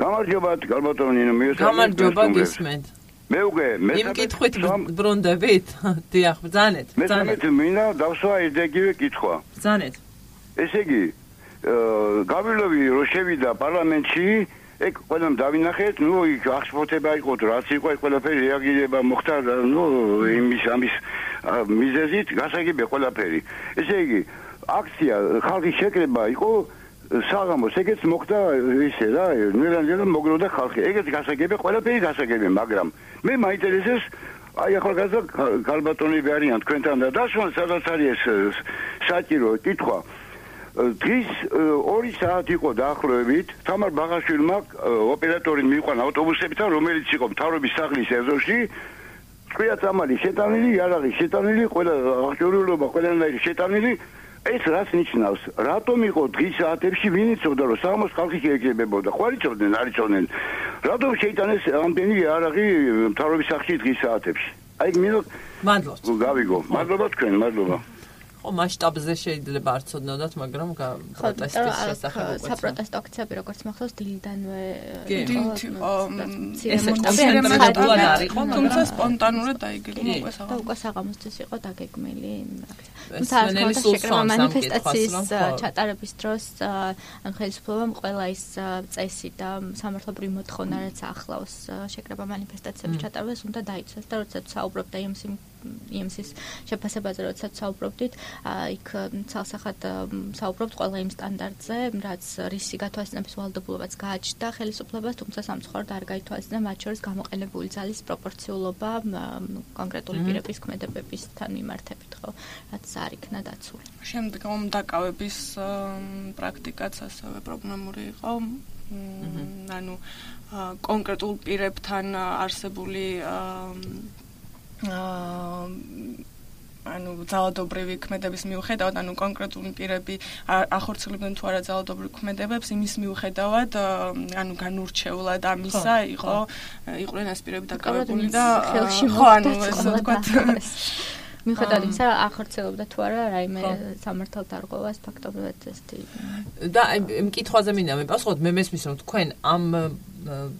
გამარჯობათ, გალბატონინო, მიესალმებით. გამარჯობა, გისმენთ. მე უკვე მე იმ კითხვით ბრუნდებით? დიახ, ბრძანეთ, ბრძანეთ. მე მინდა დავსვა იდეგივე კითხვა. ბრძანეთ. ესე იგი, გავილოვი რო შევიდა პარლამენტში, ეგ ყველამ დავინახეთ, ნუ იქ აღშფოთება იყო, რაც იყო, ყველაფერი რეაგირება მოხდა, ნუ იმის ამის მიზეზით გასაგებია ყველაფერი. ესე იგი, აქცია ხალხის შეკრება იყო საღამოს, ეგეც მოხდა ისე რა, ნერანჯერა მოგროვდა ხალხი. ეგეც გასაგებია, ყველაფერი გასაგებია, მაგრამ მე მაინტერესებს აი ახალგაზრდა გალბატონები არიან თქვენთან და დასვან სადაც არის ეს საჭირო კითხვა. დღის ორი საათი იყო დაახლოებით, თამარ ბაღაშვილმა ოპერატორი მიიყვანა ავტობუსებთან, რომელიც იყო მთავრობის სახლის ეზოში. წვია წამალი შეტანილი, იარაღი შეტანილი, ყველა აღჭურვილობა ყველანაირი შეტანილი. ეს რას ნიშნავს? რატომ იყო დღის საათებში ვინ იცოდა რომ საღამოს ხალხი შეეგებებოდა? ხო არ იცოდნენ, არ იცოდნენ. რატომ შეიტანეს ამდენი იარაღი მთავრობის სახლში დღის საათებში? აი მინდა მადლობთ. გავიგო. მადლობა თქვენ, მადლობა. ხო, მასშტაბზე შეიძლება არ ცოდნოდათ, მაგრამ პროტესტის შესახებ უკვე საპროტესტო აქციები როგორც მახსოვს დილიდანვე იყო, თუმცა სპონტანურად დაიგეგმა უკვე და უკვე საღამოსთვის იყო დაგეგმილი თუმცა მანიფესტაციის ჩატარების დროს ან ხელისუფლებამ ყველა ის წესი და სამართლებრივი მოთხოვნა რაც ახლავს შეკრება მანიფესტაციების ჩატარებას უნდა დაიცვას და როდესაც საუბრობდა იმის შეფასებაზე როდესაც საუბრობდით იქ ცალსახად საუბრობთ ყველა იმ სტანდარტზე, რაც რისი გათვალისწინების ვალდებულობაც გააჩნდა ხელისუფლებას, თუმცა სამწუხაროდ არ გაითვალისწინა მათ შორის გამოყენებული ძალის პროპორციულობა კონკრეტული პირების ქმედებებისთან მიმართებით, ხო, რაც არ იქნა დაცული. შემდეგ მომდაკავების პრაქტიკაც ასევე პრობლემური იყო. ანუ კონკრეტულ პირებთან არსებული ანუ ძალადობრივი ქმედების მიუხედავად, ანუ კონკრეტული პირები ახორციელებდნენ თუ არა ძალადობრივ ქმედებებს, იმის მიუხედავად, ანუ განურჩეულად ამისა იყო იყვნენ ეს პირები დაკავებული და ხო, ანუ ესე ვთქვათ, მიუხედავად იმისა, ახორციელებდა თუ არა რაიმე სამართალდარღვევას ფაქტობრივად ესეთი და იმ კითხვაზე მინდა მიპასუხოთ, მე მესმის რომ თქვენ ამ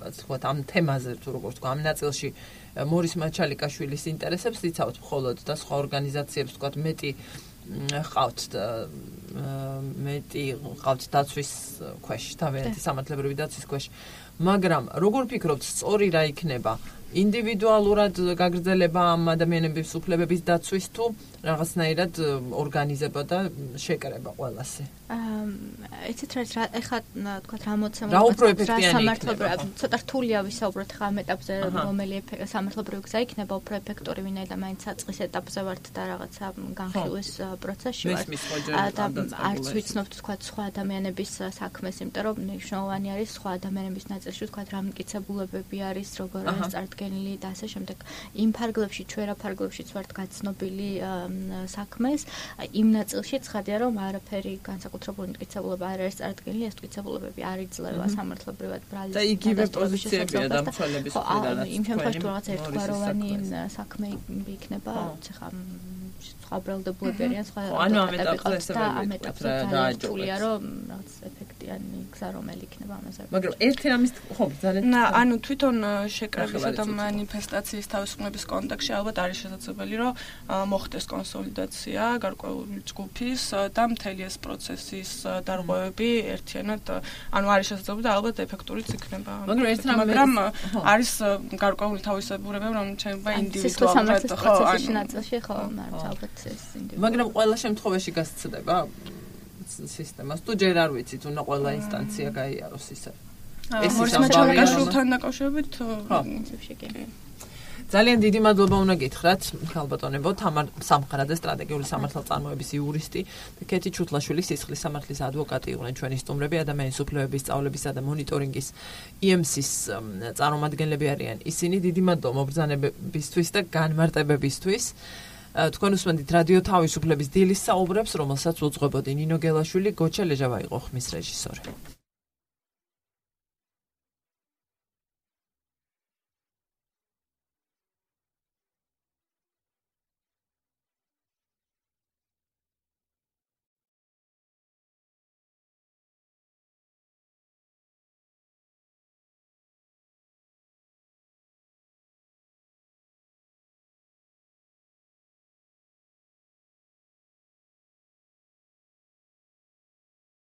ასე ვთქვათ, ამ თემაზე თუ როგორ ვთქვა, ამ ნაწილში მორის მაჩალიკაშვილის ინტერესებს იცავთ მხოლოდ და სხვა ორგანიზაციებს ვთქვათ მეტი ყავთ მეტი ყავთ დაცვის ქვეშ, თავიანთი სამართლებრივი დაცვის ქვეშ. მაგრამ როგორ ფიქრობთ, სწორი რა იქნება? ინდივიდუალურად გაგრძელება ამ ადამიანების უფლებების დაცვის თუ რაღაცნაირად ორგანიზება და შეკრება ყველასე? იცით რა, ეხლა თქვა რა მოცემული რა უფრო ეფექტიანი იქნება? ცოტა რთულია ვისაუბროთ ხა ამ ეტაპზე, რომელი სამართლებრივი გზა იქნება უფრო ეფექტური, ვინაიდან მაინც საწყის ეტაპზე ვართ და რაღაცა განხილვის პროცესში ვართ. და არც ვიცნობთ თქვა სხვა ადამიანების საქმეს, იმიტომ რომ მნიშვნელოვანი არის სხვა ადამიანების ნაწილში თქვა რა მტკიცებულებები არის, როგორ არის წარდგენილი და ასე შემდეგ. იმ ფარგლებში, ჩვენ რა ფარგლებშიც ვართ გაცნობილი საქმეს, იმ ნაწილში ცხადია რომ არაფერი განსაკუთრებული მტკიცებულება არ არის წარდგენილი, ეს მტკიცებულებები არ იძლევა სამართლებრივად ბრალის და იგივე პოზიციებია დამცველების მხრიდან. იმ შემთხვევაში თუ რაღაც ერთგვაროვანი საქმე იქნება, ხა სხვა ბრალდებულები არიან, სხვა ეტაპებზე და ამ ეტაპზე ძალიან რთულია რომ რაღაც ეფექტიანი გზა რომელი იქნება ამაზე. მაგრამ ერთი რამის ხო, ძალიან ანუ თვითონ შეკრებისა და მანიფესტაციის თავისუფლების კონტექსტში ალბათ არის შესაძლებელი, რომ მოხდეს კონსოლიდაცია გარკვეული ჯგუფის და მთელი ეს პროცესის დარღვევები ერთიანად, ანუ არის შესაძლებელი და ალბათ ეფექტურიც იქნება. მაგრამ არის გარკვეული თავისებურებები, რომ შეიძლება ინდივიდუალურად ხო, ნაწილში ხო, ალბათ ეს ინდივიდუალურად. მაგრამ ყველა შემთხვევაში გასცდება სისტემას თუ ჯერ არ ვიცით, უნდა ყველა ინსტანცია გაიაროს ისე. ეს მორისმაჩალკაშვილთან დაკავშირებით პრინციპში კი. ძალიან დიდი მადლობა უნდა გითხრათ ხალბატონებო თამარ სამხარაძე სტრატეგიული სამართალწარმოების იურისტი და კეთი ჩუთლაშვილი სისხლის სამართლის ადვოკატი იყვნენ ჩვენი სტუმრები ადამიანის უფლებების სწავლებისა და მონიტორინგის ი ემ სის წარმომადგენლები არიან ისინი დიდი მადლობა მობრძანებებისთვის და განმარტებებისთვის თქვენ უსმენთ რადიო თავისუფლების დილის საუბრებს რომელსაც უძღვებოდი ნინო გელაშვილი გოჩა ლეჟავა იყო ხმის რეჟისორი